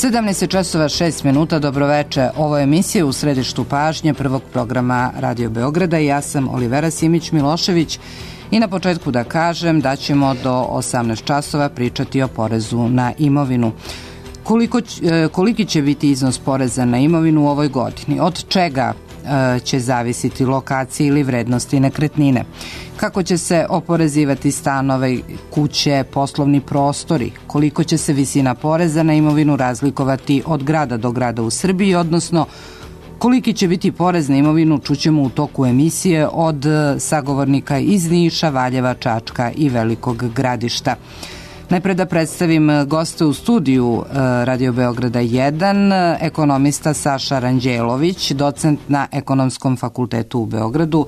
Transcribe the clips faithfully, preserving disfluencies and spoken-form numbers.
sedamnaest časova šest minuta, dobroveče. Ovo je emisija U središtu pažnje prvog programa Radio Beograda i ja sam Olivera Simić-Milošević i na početku da kažem da ćemo do osamnaest časova pričati o porezu na imovinu. Koliko, koliki će biti iznos poreza na imovinu u ovoj godini? Od čega će zavisiti lokacije ili vrednosti nekretnine? Kako će se oporezivati stanove, kuće, poslovni prostori? Koliko će se visina poreza na imovinu razlikovati od grada do grada u Srbiji, odnosno koliki će biti porez na imovinu, čućemo u toku emisije od sagovornika iz Niša, Valjeva, Čačka i Velikog Gradišta. Najpre da predstavim goste u studiju Radio Beograda jedan, ekonomista Saša Ranđelović, docent na Ekonomskom fakultetu u Beogradu.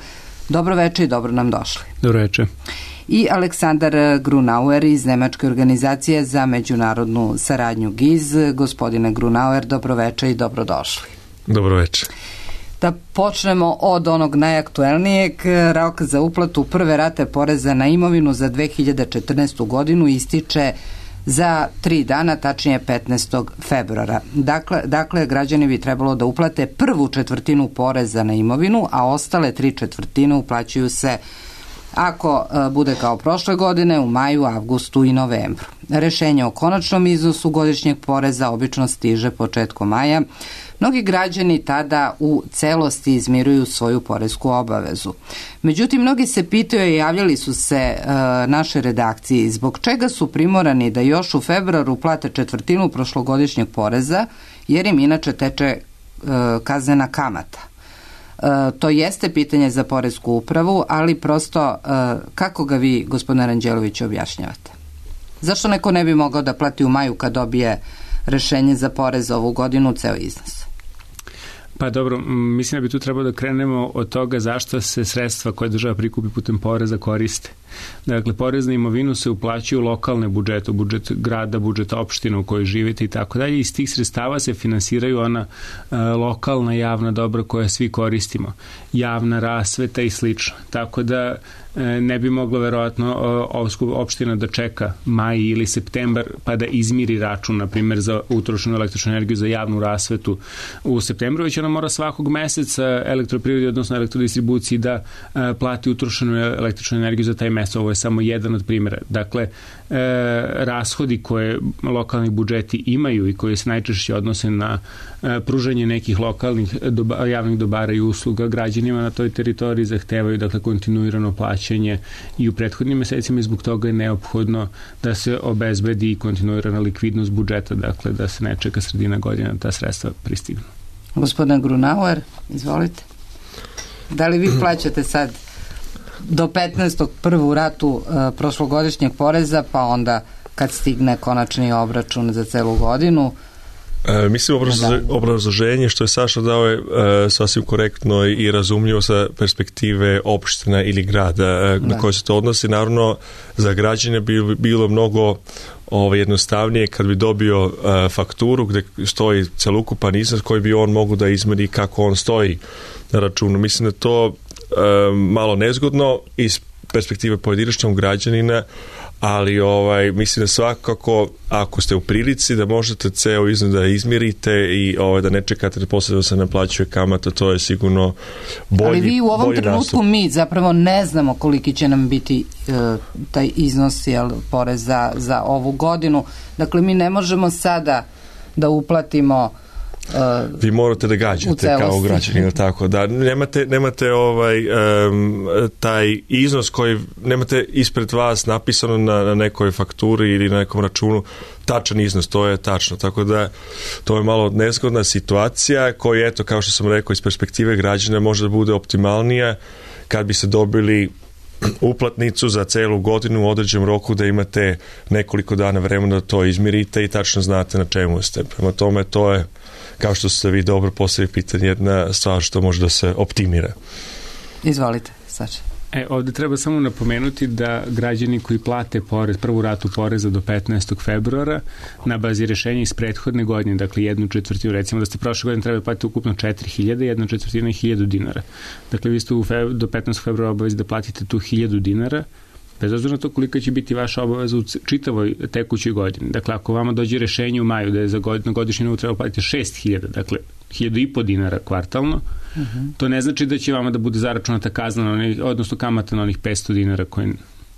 Dobro veče i dobro nam došli. Dobro veče. I Aleksandar Grunauer iz Nemačke organizacije za međunarodnu saradnju G I Z. Gospodine Grunauer, dobro veče i dobro došli. Dobro veče. Da počnemo od onog najaktuelnijeg. Rok za uplatu prve rate poreza na imovinu za dve hiljade četrnaestu godinu ističe za tri dana, tačnije petnaestog februara. Dakle, dakle, građani bi trebalo da uplate prvu četvrtinu poreza na imovinu, a ostale tri četvrtine uplaćuju se, ako bude kao prošle godine, u maju, avgustu i novembru. Rešenje o konačnom iznosu godišnjeg poreza obično stiže početkom maja. Mnogi građani tada u celosti izmiruju svoju poresku obavezu. Međutim, mnogi se pitaju i javljali su se e, naše redakciji zbog čega su primorani da još u februaru plate četvrtinu prošlogodišnjeg poreza, jer im inače teče e, kaznena kamata. E, to jeste pitanje za poresku upravu, ali prosto e, kako ga vi, gospodine Ranđelović, objašnjavate? Zašto neko ne bi mogao da plati u maju kad dobije rešenje za porez ovu godinu ceo iznos? Pa dobro, mislim da bi tu trebalo da krenemo od toga zašto se sredstva koje država prikupi putem poreza koriste. Dakle, porez na imovinu se uplaćuje u lokalne budžete, u budžet grada, budžet opštine u kojoj živite i tako dalje. Iz tih sredstava se finansiraju ona e, lokalna javna dobra koja svi koristimo. Javna rasveta i slično. Tako da e, ne bi moglo verovatno opština da čeka maj ili septembar pa da izmiri račun, na primjer, za utrošenu električnu energiju za javnu rasvetu u septembru, već ona mora svakog meseca elektroprivredi, odnosno elektrodistribuciji da e, plati utrošenu električnu energiju za taj mesec. Ovo je samo jedan od primjera. Dakle, e, rashodi koje lokalni budžeti imaju i koji se najčešće odnose na e, pružanje nekih lokalnih doba, javnih dobara i usluga građanima na toj teritoriji zahtevaju, dakle, kontinuirano plaćanje i u prethodnim mesecima i zbog toga je neophodno da se obezbedi kontinuirana likvidnost budžeta, dakle, da se ne čeka sredina godine da ta sredstva pristignu. Gospodin Grunauer, izvolite. Da li vi plaćate sad do petnaestog prvu ratu uh, prošlogodišnjeg poreza, pa onda kad stigne konačni obračun za celu godinu? E, mislim, obrazloženje, obrazloženje što je Saša dao je e, sasvim korektno i razumljivo sa perspektive opština ili grada e, na koje se to odnosi. Naravno, za građane bi bilo mnogo ovo, jednostavnije kad bi dobio e, fakturu gde stoji celokupan iznos koji bi on mogu da izmeri kako on stoji na računu. Mislim da to e, malo nezgodno iz perspektive pojedinačnog građanina, ali ovaj, mislim da svakako ako ste u prilici da možete ceo iznos da izmirite i ovaj, da ne čekate da posle da se naplaćuje kamata, to je sigurno bolji. Ali vi u ovom trenutku nastup. Mi zapravo ne znamo koliki će nam biti e, taj iznos jel, poreza za ovu godinu. Dakle, mi ne možemo sada da uplatimo Uh, vi morate da gađate kao građanin, tako da nemate, nemate ovaj um, taj iznos koji nemate ispred vas napisano na, na nekoj fakturi ili na nekom računu tačan iznos, to je tačno, tako da to je malo nezgodna situacija koja, eto, kao što sam rekao, iz perspektive građana može da bude optimalnija kad bi se dobili uplatnicu za celu godinu u određenom roku, da imate nekoliko dana vremena da to izmirite i tačno znate na čemu ste. Prema tome, to je, kao što ste vi dobro postavili pitanje, jedna stvar što može da se optimira. Izvolite, Saša. E, ovde treba samo napomenuti da građani koji plate porez, prvu ratu poreza do petnaestog februara na bazi rešenja iz prethodne godine, dakle jednu četvrtinu, recimo da ste prošle godine trebali platiti ukupno četiri hiljade, jedna četvrtina je hiljadu dinara. Dakle, vi ste u feb, do petnaestog februara obavezi da platite tu hiljadu dinara bez obzira na to kolika će biti vaša obaveza u čitavoj tekućoj godini. Dakle, ako vama dođe rešenje u maju da je za god, na godišnju nivou treba platiti šest hiljada, dakle, hiljadu i po dinara kvartalno, uh-huh. to ne znači da će vama da bude zaračunata kazna, onih, odnosno kamata na onih petsto dinara koje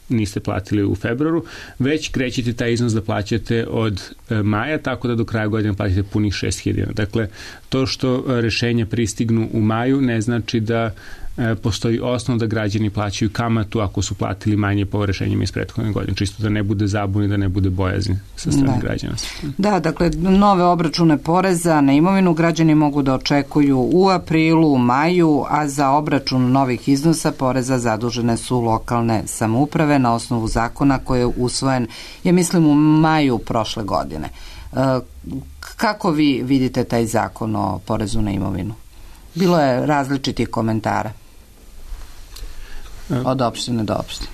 niste platili u februaru, već krećete taj iznos da plaćate od e, maja, tako da do kraja godine platite punih šest hiljada. Dakle, to što rešenja pristignu u maju ne znači da e, postoji osnov da građani plaćaju kamatu ako su platili manje po rešenjima iz prethodne godine, čisto da ne bude zabuni, da ne bude bojazni sa strane da. građana. Da, dakle, nove obračune poreza na imovinu građani mogu da očekuju u aprilu, u maju, a za obračun novih iznosa poreza zadužene su lokalne samouprave na osnovu zakona koji je usvojen, ja mislim, u maju prošle godine. E, kako vi vidite taj zakon o porezu na imovinu? Bilo je različitih komentara od opštine do opštine.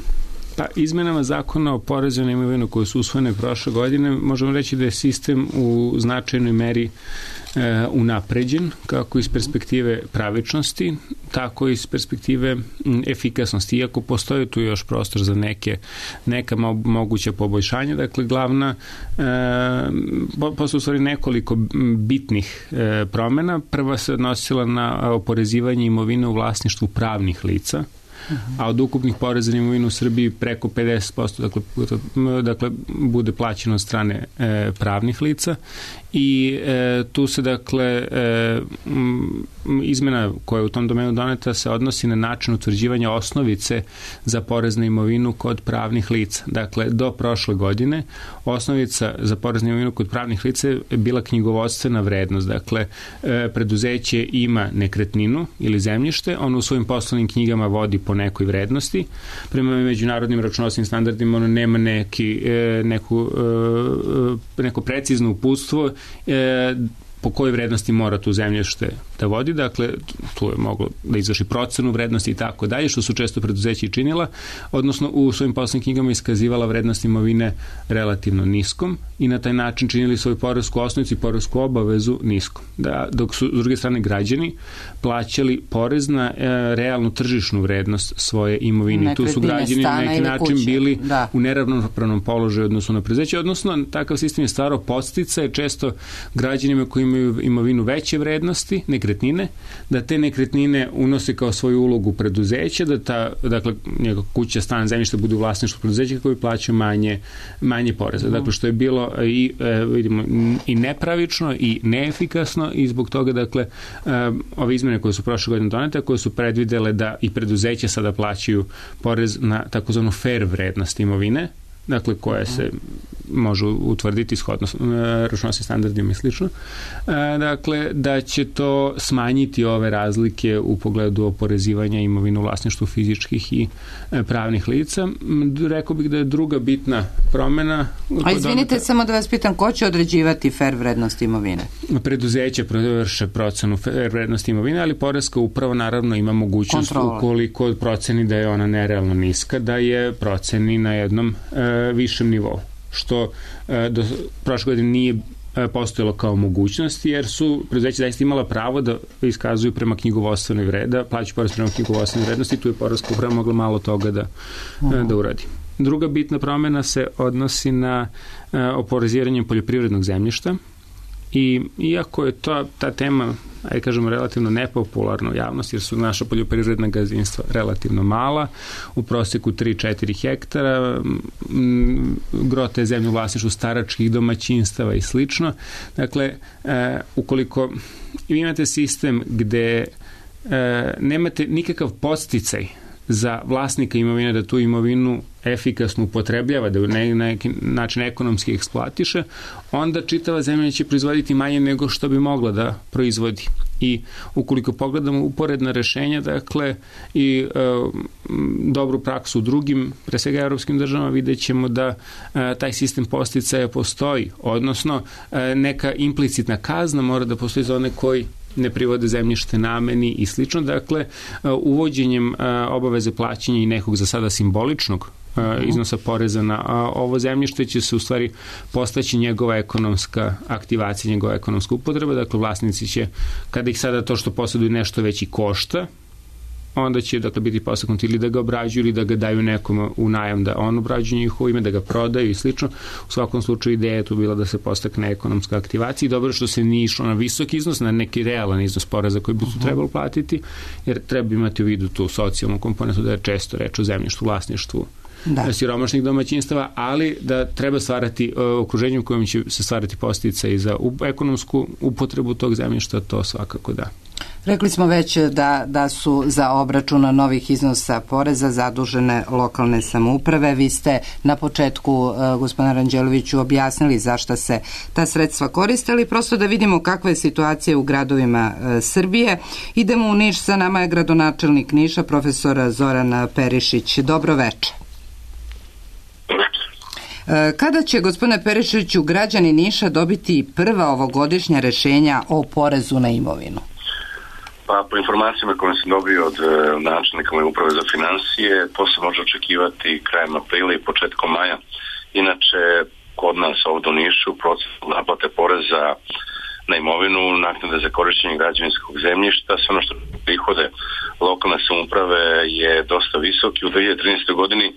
Pa izmenama zakona o porezu na imovinu koje su usvojene prošle godine, možemo reći da je sistem u značajnoj meri e, unapređen, kako iz perspektive pravičnosti, tako i iz perspektive m, efikasnosti. Iako postoji tu još prostor za neke, neka mo, moguća poboljšanja, dakle glavna, e, posle u stvari nekoliko bitnih e, promena. Prva se odnosila na oporezivanje imovine u vlasništvu pravnih lica, a od ukupnih poreza na imovinu u Srbiji preko pedeset posto dakle, dakle bude plaćeno od strane e, pravnih lica i e, tu se dakle e, m, izmena koja je u tom domenu doneta se odnosi na način utvrđivanja osnovice za porez na imovinu kod pravnih lica. Dakle, do prošle godine osnovica za porez na imovinu kod pravnih lica je bila knjigovodstvena vrednost. Dakle, e, preduzeće ima nekretninu ili zemljište, ono u svojim poslovnim knjigama vodi po nekoj vrednosti. Prema međunarodnim računovodstvenim standardima ono nema neki, e, neku, e, neko precizno uputstvo e, po kojoj vrednosti mora tu zemljište da vodi, dakle tu je moglo da izvrši procenu vrednosti i tako dalje, što su često preduzeći činila, odnosno u svojim poslovnim knjigama iskazivala vrednost imovine relativno niskom i na taj način činili svoju poresku osnovicu i poresku obavezu niskom. Da, dok su s druge strane građani plaćali porez na e, realnu tržišnu vrednost svoje imovine. Nekretnine, tu su građani na neki način kuće. bili da. u neravnopravnom položaju odnosno na preduzeće, odnosno takav sistem je stvarao podsticaje često građanima koji imaju imovinu veće vrednosti, nekretnine, da te nekretnine unose kao svoju ulogu preduzeća, da ta, dakle, njega kuća, stan, zemljište bude u vlasništvu preduzeća koji plaćaju manje, manje poreza. Dakle, što je bilo i, e, vidimo, i nepravično i neefikasno i zbog toga, dakle, e, ove izmene koje su prošle godine donete, koje su predvidele da i preduzeća sada plaćaju porez na takozvanu fair vrednost imovine, dakle, koje se može utvrditi shodno računovodstvenim standardima i slično. Dakle, da će to smanjiti ove razlike u pogledu oporezivanja imovine u vlasništvu fizičkih i pravnih lica. Rekao bih da je druga bitna promena. A izvinite, donata, samo da vas pitam, ko će određivati fair vrednost imovine? Preduzeće vrše procenu fair vrednosti imovine, ali poreska uprava naravno ima mogućnost Kontrola. ukoliko proceni da je ona nerealno niska, da je proceni na jednom e, višem nivou, što e, do prošle godine nije e, postojalo kao mogućnost, jer su preduzeća zaista imala pravo da iskazuju prema knjigovodstvenoj vrednosti, da plaćaju porez prema knjigovodstvenoj vrednosti, tu je poreska uprava mogla malo toga da, uh-huh. da uradi. Druga bitna promena se odnosi na e, oporezivanje poljoprivrednog zemljišta i iako je to, ta tema, ajde kažemo, relativno nepopularna u javnosti, jer su naša poljoprivredna gazdinstva relativno mala, u proseku tri do četiri hektara, gro te zemlje u vlasništvu staračkih domaćinstava i slično. Dakle, e, ukoliko imate sistem gde e, nemate nikakav podsticaj za vlasnika imovine da tu imovinu efikasno upotrebljava, da na neki način ekonomski eksploatiše, onda čitava zemlja će proizvoditi manje nego što bi mogla da proizvodi. I ukoliko pogledamo uporedna rešenja, dakle, i e, dobru praksu u drugim, pre svega evropskim državama, vidjet ćemo da e, taj sistem podsticaja postoji, odnosno e, neka implicitna kazna mora da postoji za one koji ne privode zemljište nameni i slično. Dakle, uvođenjem obaveze plaćanja i nekog za sada simboličnog iznosa poreza na ovo zemljište će se u stvari postaći njegova ekonomska aktivacija, njegova ekonomska upotreba. Dakle, vlasnici će, kada ih sada to što posjeduju nešto već i košta, onda će dakle biti podstaknuti ili da ga obrađuju ili da ga daju nekom u najam da on obrađuje njihovo ime, da ga prodaju i slično. U svakom slučaju ideja je tu bila da se postakne ekonomska aktivacija i dobro što se nije išlo na visok iznos, na neki realan iznos poreza koji bi tu trebalo platiti, jer treba imati u vidu tu socijalnu komponentu da je često reč o zemljištu, vlasništvu da. siromašnih domaćinstava, ali da treba stvarati uh, okruženje u kojem će se stvarati posticaj za ekonomsku upotrebu tog zemljišta, to svakako da. Rekli smo već da, da su za obračun novih iznosa poreza zadužene lokalne samouprave. Vi ste na početku, uh, gospodine Ranđeloviću, objasnili zašto se ta sredstva koriste, ali prosto da vidimo kakva je situacija u gradovima uh, Srbije. Idemo u Niš, sa nama je gradonačelnik Niša, profesor Zoran Perišić. Dobro večer. Kada će, gospodine Perišiću, građani Niša dobiti prva ovogodišnja rešenja o porezu na imovinu? Pa, po informacijama koje sam dobio od načelnika moje uprave za finansije, to se može očekivati krajem aprila i početkom maja. Inače, kod nas ovdje u Nišu proces naplate poreza na imovinu, naknade za korištenje građevinskog zemljišta, sve ono što prihode lokalne samouprave je dosta visok i u dve hiljade trinaestoj godini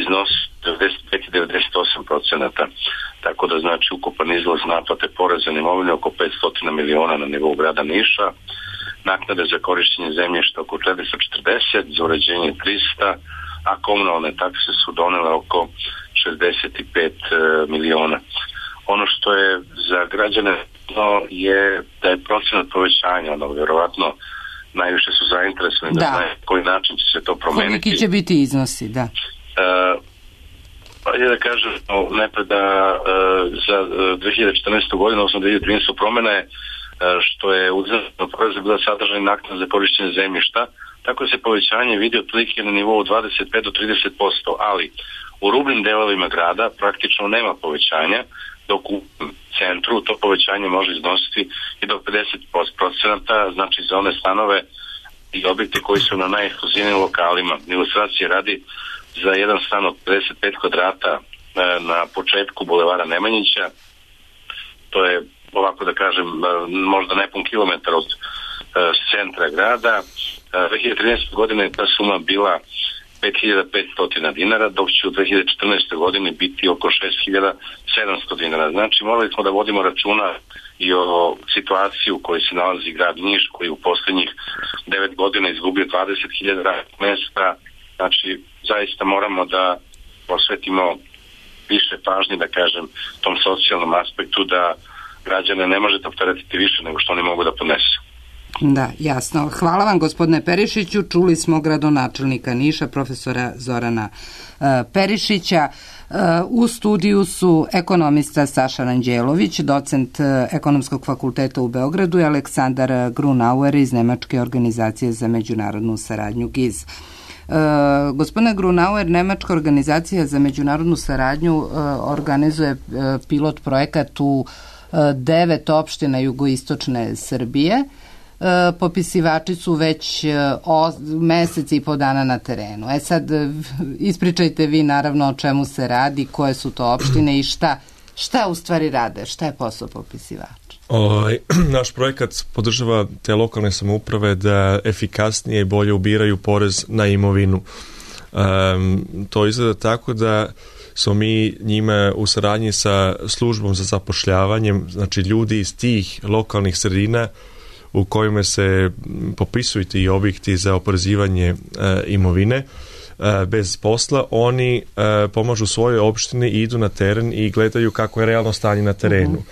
iznosi devedeset pet do devedeset osam procenata. Tako da znači ukupan izlaz naplate poreza na imovinu oko petsto miliona na nivou grada Niša, naknade za korištenje zemljišta oko četiristo četrdeset, za uređenje tristo, a komunalne takse su donele oko šezdeset pet miliona. Ono što je za građane je da je procenat povećanja, ono vjerovatno najviše su zainteresovani da, da znaju koji način će se to promeniti. Koliki će biti iznosi, da. Uh, pa je da kažem najpred da uh, za dve hiljade četrnaestu godinu, odnosno dve hiljade trinaestu promjena je uh, što je uzimljeno poreza bila sadržaj naknada za korištenje zemljišta, tako se povećanje vidi otprilike na nivou dvadeset pet do trideset posto, ali u rubnim delovima grada praktično nema povećanja, dok u centru to povećanje može iznositi i do pedeset procenata, znači za one stanove i objekte koji su na najekskluzivnijim lokalima. Ilustracije radi, za jedan stan od pedeset pet kvadrata na početku bulevara Nemanjića, to je, ovako da kažem, možda nepun kilometar od centra grada, dve hiljade trinaeste. godine ta suma bila pet hiljada petsto dinara, dok će u dve hiljade četrnaestoj. godini biti oko šest hiljada sedamsto dinara. Znači, morali smo da vodimo računa i o situaciji u kojoj se nalazi grad Niš, koji u posljednjih devet godina izgubio dvadeset hiljada radnih mesta. Znači, zaista moramo da posvetimo više pažnje, da kažem, tom socijalnom aspektu, da građane ne možete opteretiti više nego što oni mogu da podnesu. Da, jasno. Hvala vam, gospodine Perišiću. Čuli smo gradonačelnika Niša, profesora Zorana uh, Perišića. Uh, u studiju su ekonomista Saša Ranđelović, docent uh, Ekonomskog fakulteta u Beogradu, i Aleksandar Grunauer iz Nemačke organizacije za međunarodnu saradnju G I Z. Uh, gospodine Grunauer, Nemačka organizacija za međunarodnu saradnju uh, organizuje uh, pilot projekat u uh, devet opština jugoistočne Srbije. Popisivači su već o, mesec i po dana na terenu. E sad, ispričajte vi naravno o čemu se radi, koje su to opštine i šta, šta u stvari rade, šta je posao popisivača? O, naš projekat podržava te lokalne samouprave da efikasnije i bolje ubiraju porez na imovinu. Um, to izgleda tako da smo mi njima u saradnji sa službom za zapošljavanjem, znači ljudi iz tih lokalnih sredina u kojima se popisuju ti objekti za oporezivanje e, imovine e, bez posla, oni e, pomažu svojoj opštini i idu na teren i gledaju kako je realno stanje na terenu.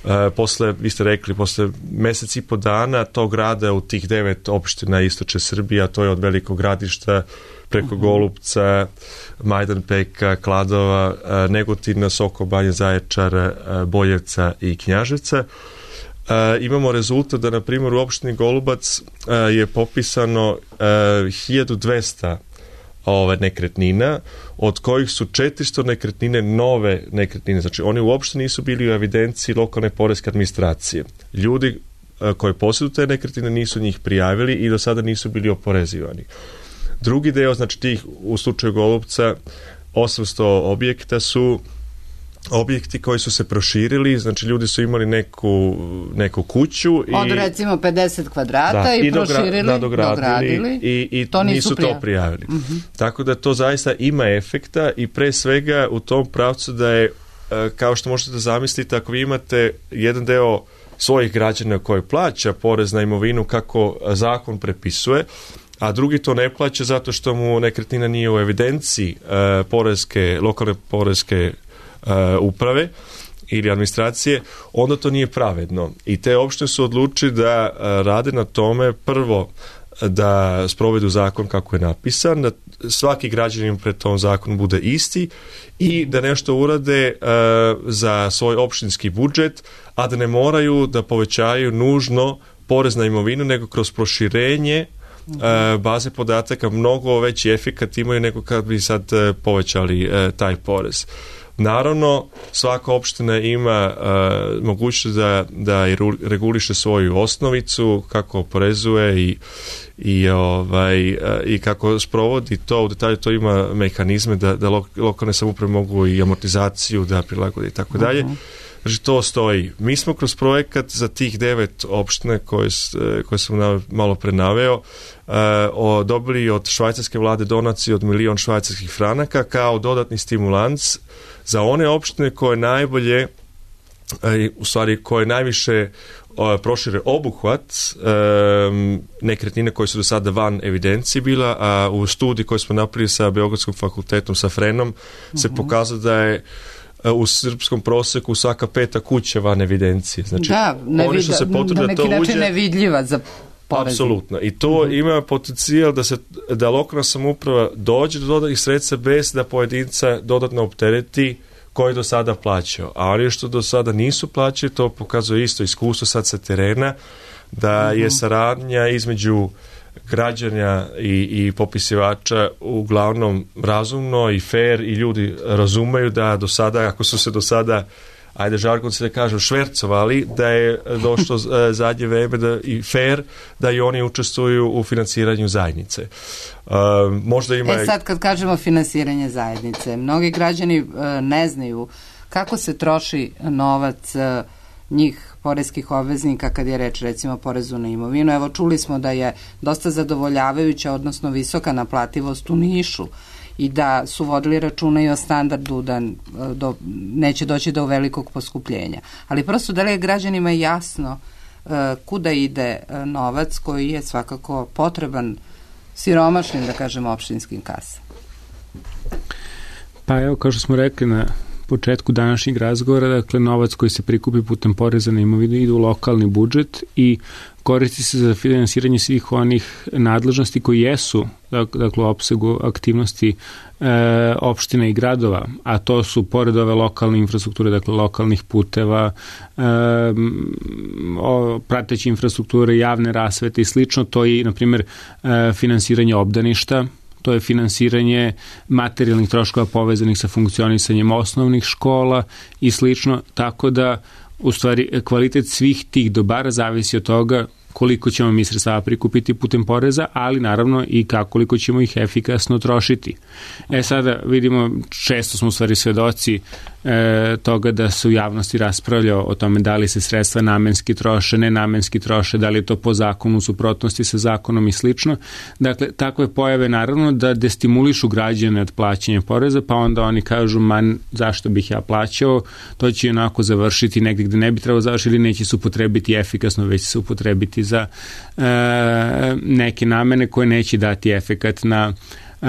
E, posle, vi ste rekli, posle mesec i po dana tog rada u tih devet opština istočne Srbije, a to je od Velikog Gradišta preko Golupca, Majdanpeka, Kladova, e, Negotina, Sokobanje, Zaječara, e, Boljevca i Knjaževca. Uh, imamo rezultat da, na primjer, u opštini Golubac uh, je popisano uh, hiljadu dvesta ove nekretnina, od kojih su četiristo nekretnine nove nekretnine. Znači, oni uopšte nisu bili u evidenciji lokalne poreske administracije. Ljudi uh, koji posjeduju te nekretnine nisu njih prijavili i do sada nisu bili oporezivani. Drugi deo, znači tih, u slučaju Golubca, osamsto objekta su objekti koji su se proširili, znači ljudi su imali neku, neku kuću i od recimo pedeset kvadrata da, i, i proširili, dogra, dogradili, dogradili i, i to nisu, nisu prijavili. to prijavili. Uh-huh. Tako da to zaista ima efekta i pre svega u tom pravcu da je, kao što možete zamisliti, ako vi imate jedan deo svojih građana koji plaća porez na imovinu kako zakon prepisuje, a drugi to ne plaća zato što mu nekretnina nije u evidenciji uh, poreske, lokalne poreske uh, uprave ili administracije, onda to nije pravedno. I te opštine su odlučili da uh, rade na tome, prvo da sprovedu zakon kako je napisan, da svaki građanin pred tom zakonu bude isti i da nešto urade uh, za svoj opštinski budžet, a da ne moraju da povećaju nužno porez na imovinu, nego kroz proširenje uh, baze podataka mnogo veći efekat imaju nego kad bi sad uh, povećali uh, taj porez. Naravno, svaka opština ima uh, mogućnost da, da reguliše svoju osnovicu, kako oporezuje i, i, ovaj, uh, i kako sprovodi to. U detalju to ima mehanizme da, da lo, lokalne samouprave mogu i amortizaciju da prilagode i tako dalje. Znači, to stoji. Mi smo kroz projekat za tih devet opštine koje, koje sam malo pre naveo uh, o, dobili od švajcarske vlade donaciju od milion švajcarskih franaka kao dodatni stimulans za one opštine koje najbolje, u stvari koje najviše prošire obuhvat um, nekretnine koje su do sada van evidencije bila, a u studiji koju smo napravili sa Beogradskom fakultetom, sa Frenom, uh-huh. se pokazalo da je u srpskom proseku svaka peta kuća van evidencije. Znači, da, ne oni što se potrude na da neki to način uđe, nevidljiva za porezi. Apsolutno. I to uh-huh. ima potencijal da se da lokalna samouprava dođe do dodatnih sredstva bez da pojedinca dodatno optereti koji do sada plaćao. A oni što do sada nisu plaćali, to pokazuje isto iskustvo sad sa terena, da uh-huh. je saradnja između građanja i, i popisivača uglavnom razumno i fair i ljudi razumeju da do sada, ako su se do sada, ajde žargon se da kažem, švercovali, da je došlo zadnje vreme da, i fair da i oni učestvuju u finansiranju zajednice. Uh, možda ima... E sad kad kažemo finansiranje zajednice, mnogi građani uh, ne znaju kako se troši novac uh, njih poreskih obveznika kad je reč recimo o porezu na imovinu. Evo čuli smo da je dosta zadovoljavajuća, odnosno visoka naplativost u Nišu i da su vodili računa i o standardu da do, neće doći do velikog poskupljenja. Ali prosto da li je građanima jasno uh, kuda ide uh, novac koji je svakako potreban siromašnim, da kažemo, opštinskim kasama? Pa evo, kao što smo rekli na početku današnjeg razgovora, dakle, novac koji se prikupi putem poreza na imovinu ide u lokalni budžet i koristi se za finansiranje svih onih nadležnosti koji jesu, dakle, u opsegu aktivnosti e, opština i gradova, a to su, pored ove lokalne infrastrukture, dakle, lokalnih puteva, e, o, prateće infrastrukture, javne rasvete i slično, to je, na primjer, e, finansiranje obdaništa, to je finansiranje materijalnih troškova povezanih sa funkcionisanjem osnovnih škola i slično, tako da u stvari kvalitet svih tih dobara zavisi od toga koliko ćemo mi sredstava prikupiti putem poreza, ali naravno i kako koliko ćemo ih efikasno trošiti. E sada vidimo, često smo u stvari svedoci e, toga da se u javnosti raspravlja o tome da li se sredstva namenski troše, nenamenski troše, da li je to po zakonu, u suprotnosti sa zakonom i slično. Dakle, takve pojave naravno da destimulišu građane od plaćanja poreza, pa onda oni kažu, man, zašto bih ja plaćao, to će onako završiti negdje gde ne bi trebalo završiti ili neće se upotrebiti efikasno, već se upotrebiti za e, neke namene koje neće dati efekat na, e,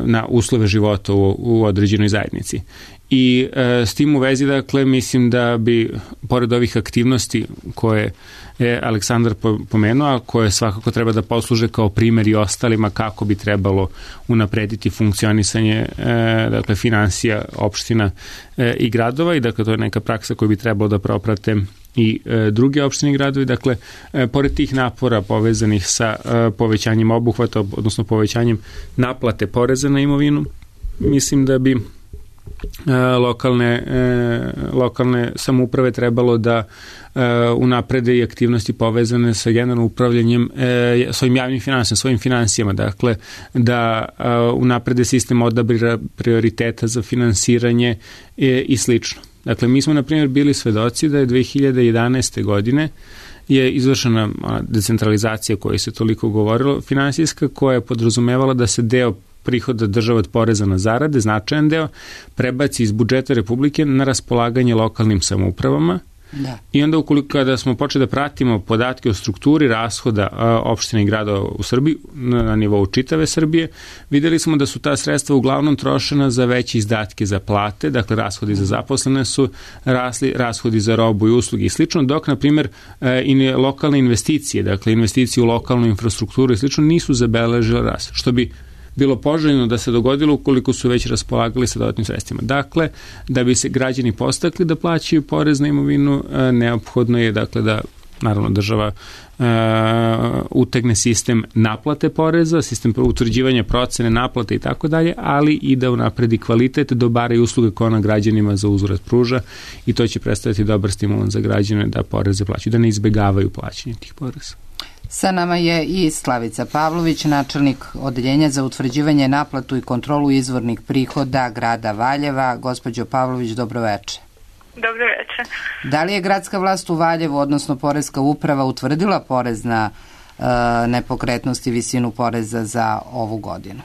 na uslove života u, u određenoj zajednici. I e, s tim u vezi, dakle, mislim da bi, pored ovih aktivnosti koje je Aleksandar pomenuo, a koje svakako treba da posluže kao primjer i ostalima kako bi trebalo unaprediti funkcionisanje e, dakle, finansija opština e, i gradova, i dakle to je neka praksa koju bi trebalo da proprate i e, druge opštine i gradovi. Dakle, e, pored tih napora povezanih sa e, povećanjem obuhvata, odnosno povećanjem naplate poreza na imovinu, mislim da bi lokalne, lokalne samouprave trebalo da unaprede i aktivnosti povezane sa generalnim upravljanjem svojim javnim finansijama, svojim finansijama, dakle da unaprede sistem odabira prioriteta za finansiranje i slično. Dakle, mi smo, na primjer, bili svedoci da je dve hiljade jedanaeste. godine je izvršena decentralizacija o kojoj se toliko govorilo, finansijska, koja je podrazumevala da se deo prihoda država od poreza na zarade, značajan deo, prebaci iz budžeta Republike na raspolaganje lokalnim samoupravama. Da. I onda ukoliko kada smo počeli da pratimo podatke o strukturi rashoda opština i grada u Srbiji na nivou čitave Srbije, videli smo da su ta sredstva uglavnom trošena za veće izdatke za plate, dakle rashodi za zaposlene su rasli, rashodi za robu i usluge i slično, dok na primjer i lokalne investicije, dakle investicije u lokalnu infrastrukturu i slično nisu zabeležile rast, što bi bilo poželjno da se dogodilo ukoliko su već raspolagali sa dodatnim sredstvima. Dakle, da bi se građani postakli da plaćaju porez na imovinu, neophodno je dakle da naravno država e, utegne sistem naplate poreza, sistem utvrđivanja procene naplate i tako dalje, ali i da unapredi kvalitet dobara i usluge koje ona građanima za uzvrat pruža i to će predstaviti dobar stimulans za građane da poreze plaćaju, da ne izbegavaju plaćanje tih poreza. Sa nama je i Slavica Pavlović, načelnik Odeljenja za utvrđivanje, naplatu i kontrolu izvornih prihoda grada Valjeva. Gospođo Pavlović, dobroveče. Dobroveče. Da li je gradska vlast u Valjevu, odnosno Poreska uprava, utvrdila porez na e, nepokretnosti, visinu poreza za ovu godinu?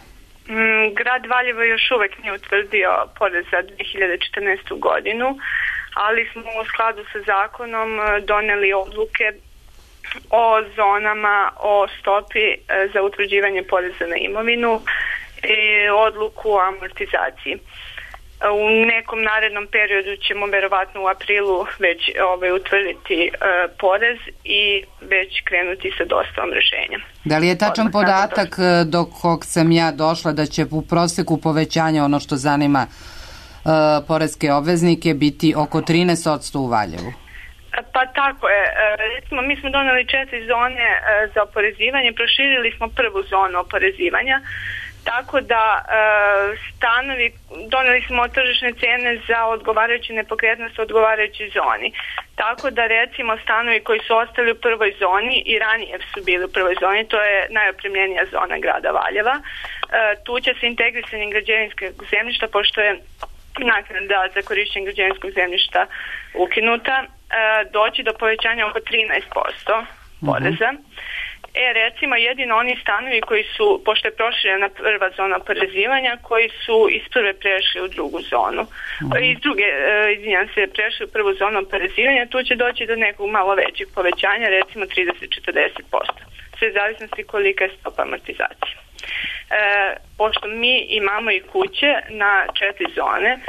Mm, grad Valjevo još uvek nije utvrdio porez za dve hiljade četrnaestu. godinu, ali smo u skladu sa zakonom doneli odluke o zonama, o stopi za utvrđivanje poreza na imovinu i odluku o amortizaciji. U nekom narednom periodu ćemo verovatno u aprilu već ovaj, utvrditi e, porez i već krenuti sa dostavom rešenja. Da li je tačan Odmah podatak do kog sam ja došla da će u proseku povećanja, ono što zanima e, poreske obveznike, biti oko trinaest posto u Valjevu? Pa tako je. Recimo, mi smo doneli četiri zone za oporezivanje, proširili smo prvu zonu oporezivanja, tako da stanovi, doneli smo tržišne cene za odgovarajuće nepokretnosti u odgovarajućoj zoni. Tako da recimo stanovi koji su ostali u prvoj zoni i ranije su bili u prvoj zoni, to je najopremljenija zona grada Valjeva, tu će se integrisanjem građevinskog zemljišta, pošto je naknada za korišćenje građevinskog zemljišta ukinuta, doći do povećanja oko trinaest posto poreza. Uh-huh. E, recimo, jedino oni stanovi koji su, pošto je proširena prva zona oporezivanja, koji su iz prve prešli u drugu zonu. Uh-huh. Iz druge, izvinjam se, prešli u prvu zonu oporezivanja, tu će doći do nekog malo većeg povećanja, recimo trideset do četrdeset posto. Sve zavisnosti kolika je stopa amortizacije. E, pošto mi imamo i kuće na četiri zone e,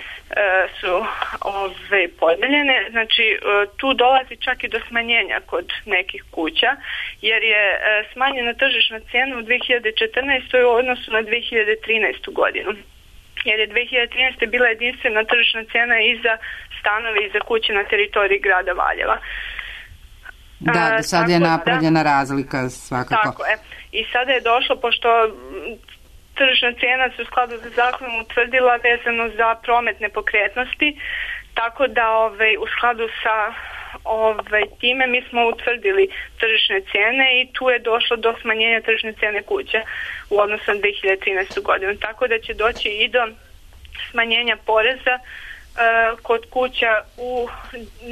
su ove podeljene, znači e, tu dolazi čak i do smanjenja kod nekih kuća, jer je e, smanjena tržišna cena u dve hiljade četrnaestoj. u odnosu na dve hiljade trinaestu. godinu. Jer je dve hiljade trinaeste. bila jedinstvena tržišna cena i za stanove i za kuće na teritoriji grada Valjeva. Da, sad je napravljena da, razlika svakako. Tako je. I sada je došlo, pošto tržišna cena se u skladu sa zakonom utvrdila vezano za promet nepokretnosti, tako da ovaj, u skladu sa ovaj, time mi smo utvrdili tržišne cene i tu je došlo do smanjenja tržišne cene kuća u odnosu na dve hiljade trinaestu. godinu. Tako da će doći i do smanjenja poreza uh, kod kuća u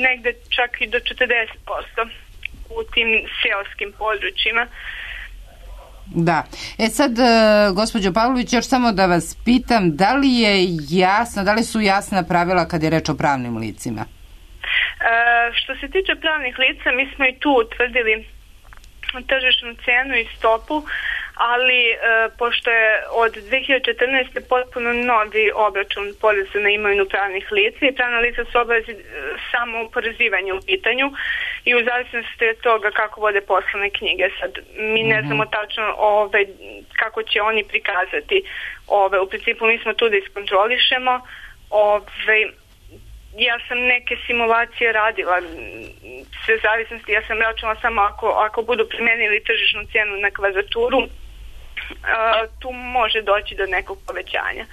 negde čak i do četrdeset posto. u tim seoskim područjima. Da. E sad, gospođo Pavlović, još samo da vas pitam, da li je jasno, da li su jasna pravila kad je reč o pravnim licima? E, što se tiče pravnih lica, mi smo i tu utvrdili tržišnu cenu i stopu, ali e, pošto je od dve hiljade četrnaeste. potpuno novi obračun poreza na imovinu pravnih lica i pravna lica su obavezi samo oporezivanje u pitanju i u zavisnosti od toga kako vode poslovne knjige. Sad, mi ne znamo tačno ove, kako će oni prikazati. Ove, u principu mi smo tu da iskontrolišemo. Ove, ja sam neke simulacije radila, sve zavisnosti, ja sam računala samo ako, ako budu primenili tržišnu cenu na kvadraturu, tu može doći do nekog povećanja.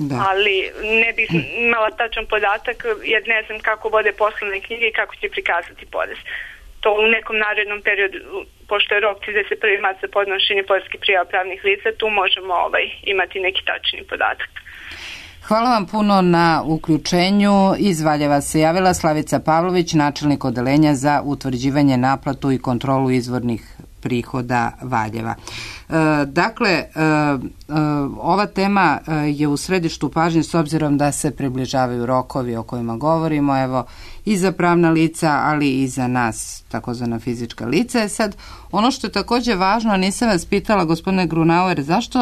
Da. Ali ne bih imala tačan podatak jer ne znam kako vode poslovne knjige i kako će prikazati porez. To u nekom narednom periodu, pošto je rok trideset prvi mart za podnošenje poreskih prijava pravnih lica, tu možemo ovaj, imati neki tačni podatak. Hvala vam puno na uključenju. Iz Valjeva se javila Slavica Pavlović, načelnik odeljenja za utvrđivanje, naplatu i kontrolu izvornih prihoda Valjeva. E, dakle, e, e, ova tema je u središtu pažnje s obzirom da se približavaju rokovi o kojima govorimo, evo, i za pravna lica, ali i za nas, takozvana fizička lica. Sad, ono što je također važno, nisam vas pitala, gospodine Grunauer, zašto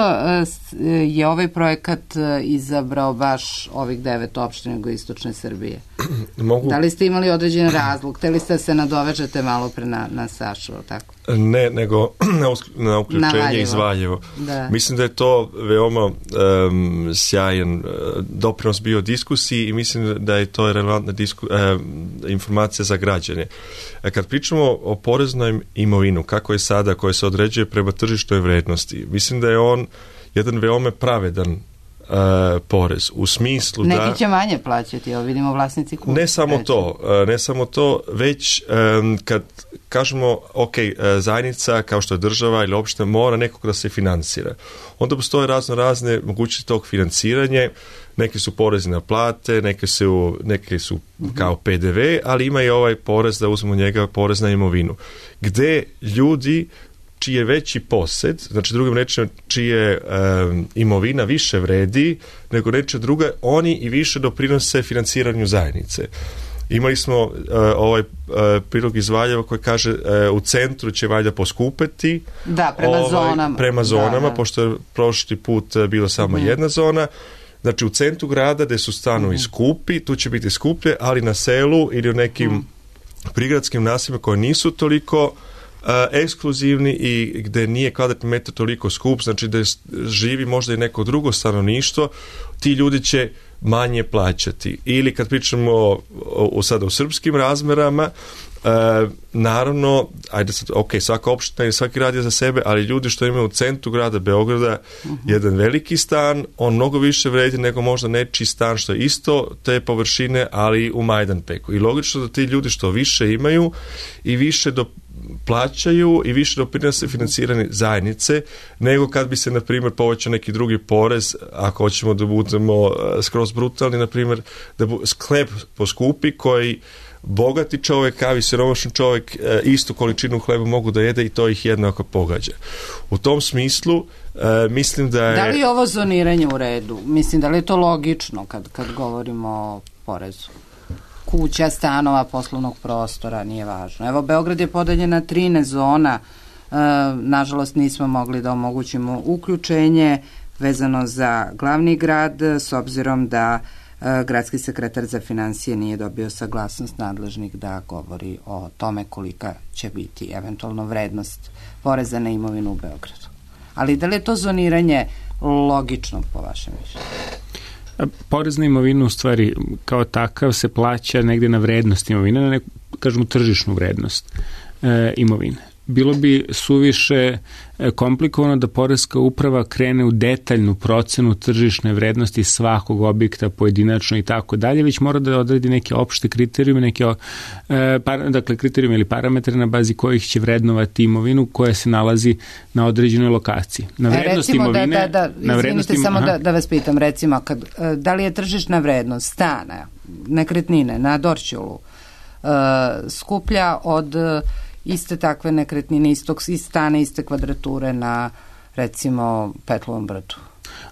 je ovaj projekat izabrao baš ovih devet opština jugoistočne Srbije? Mogu... Da li ste imali određen razlog? Hteli ste se nadovežete malo pre na, na Sašu, tako? Ne, nego na, na uključenje iz Valjevo. Da. Mislim da je to veoma um, sjajan uh, doprinos bio diskusiji i mislim da je to relevantna disku, uh, informacija za građane. Kad pričamo o poreznoj imovinu, kako je sada, koje se određuje prema tržišnoj vrednosti, mislim da je on jedan veoma pravedan uh, porez, u smislu Neki da... Neki će manje plaćati, evo vidimo vlasnici kuće. Ne samo reći. to, uh, ne samo to, već um, kad kažemo, ok, uh, zajednica, kao što je država ili opština, mora nekog da se finansira. Onda postoje razno razne mogućnosti tog financiranja. Neke su porezi na plate, neke su, neke su kao P D V, ali ima i ovaj porez, da uzmemo njega, porez na imovinu. Gde ljudi čiji je veći posed, znači drugim rečima čije um, imovina više vredi nego reče druga, oni i više doprinose financiranju zajednice. Imali smo uh, ovaj uh, prilog iz Valjeva koji kaže uh, u centru će valjda poskupeti. Da, prema ovaj, zonama. Prema zonama, da, da. Pošto je prošli put uh, bilo samo mm. jedna zona. Znači u centru grada gde su stanovi mm. skupi, tu će biti skuplje, ali na selu ili u nekim mm. prigradskim naseljima koje nisu toliko uh, ekskluzivni i gde nije kvadratni metar toliko skup, znači da živi možda i neko drugo stanovništvo, ti ljudi će manje plaćati. Ili kad pričamo o, o, sada o srpskim razmerama, e, naravno, ajde sad, ok, svaka opština i svaki grad je za sebe, ali ljudi što imaju u centru grada Beograda uh-huh. jedan veliki stan, on mnogo više vredi nego možda nečiji stan što je isto te površine, ali u Majdanpeku. I logično da ti ljudi što više imaju i više do plaćaju i više doprinose financirane zajednice, nego kad bi se, na primjer, povećao neki drugi porez, ako hoćemo da budemo skroz brutalni, na primjer, da bu, hleb poskupi koji bogati čovjek, kao i siromašan čovjek istu količinu hleba mogu da jede i to ih jednako pogađa. U tom smislu mislim da je... Da li je ovo zoniranje u redu? Mislim, da li je to logično kad, kad govorimo o porezu? Kuća, stanova, poslovnog prostora, nije važno. Evo, Beograd je podeljen na trinaest zona. E, nažalost, nismo mogli da omogućimo uključenje vezano za glavni grad, s obzirom da e, gradski sekretar za financije nije dobio saglasnost nadležnih da govori o tome kolika će biti eventualno vrednost poreza na imovinu u Beogradu. Ali da li je to zoniranje logično po vašem mišljenju? Porez na imovinu u stvari kao takav se plaća negde na vrednost imovine, na neku, kažemo, tržišnu vrednost e, imovine. Bilo bi suviše komplikovano da poreska uprava krene u detaljnu procenu tržišne vrednosti svakog objekta pojedinačno i tako dalje, već mora da odredi neke opšte kriterijume, neke e, par, dakle kriterijume ili parametre na bazi kojih će vrednovati imovinu koja se nalazi na određenoj lokaciji. Na vrednost recimo imovine, da, da, da, na vrednost izvinite im, samo da, da vas pitam, recimo kad, da li je tržišna vrednost stana, nekretnine na Dorćolu uh, skuplja od iste takve nekretnine, istog stane, iste kvadrature na, recimo, Petlovom brdu?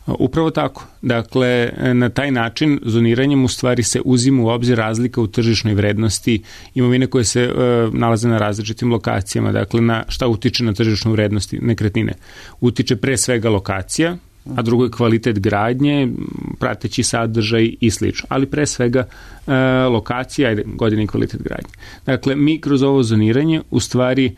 Upravo tako. Dakle, na taj način zoniranjem u stvari se uzima u obzir razlika u tržišnoj vrednosti imovine koje se e, nalaze na različitim lokacijama. Dakle, na šta utiče na tržišnu vrednosti nekretnine? Utiče pre svega lokacija, a drugo je kvalitet gradnje, prateći sadržaj i slično. Ali pre svega e, lokacija, ajde, godine i kvalitet gradnje. Dakle, mi kroz ovo zoniranje u stvari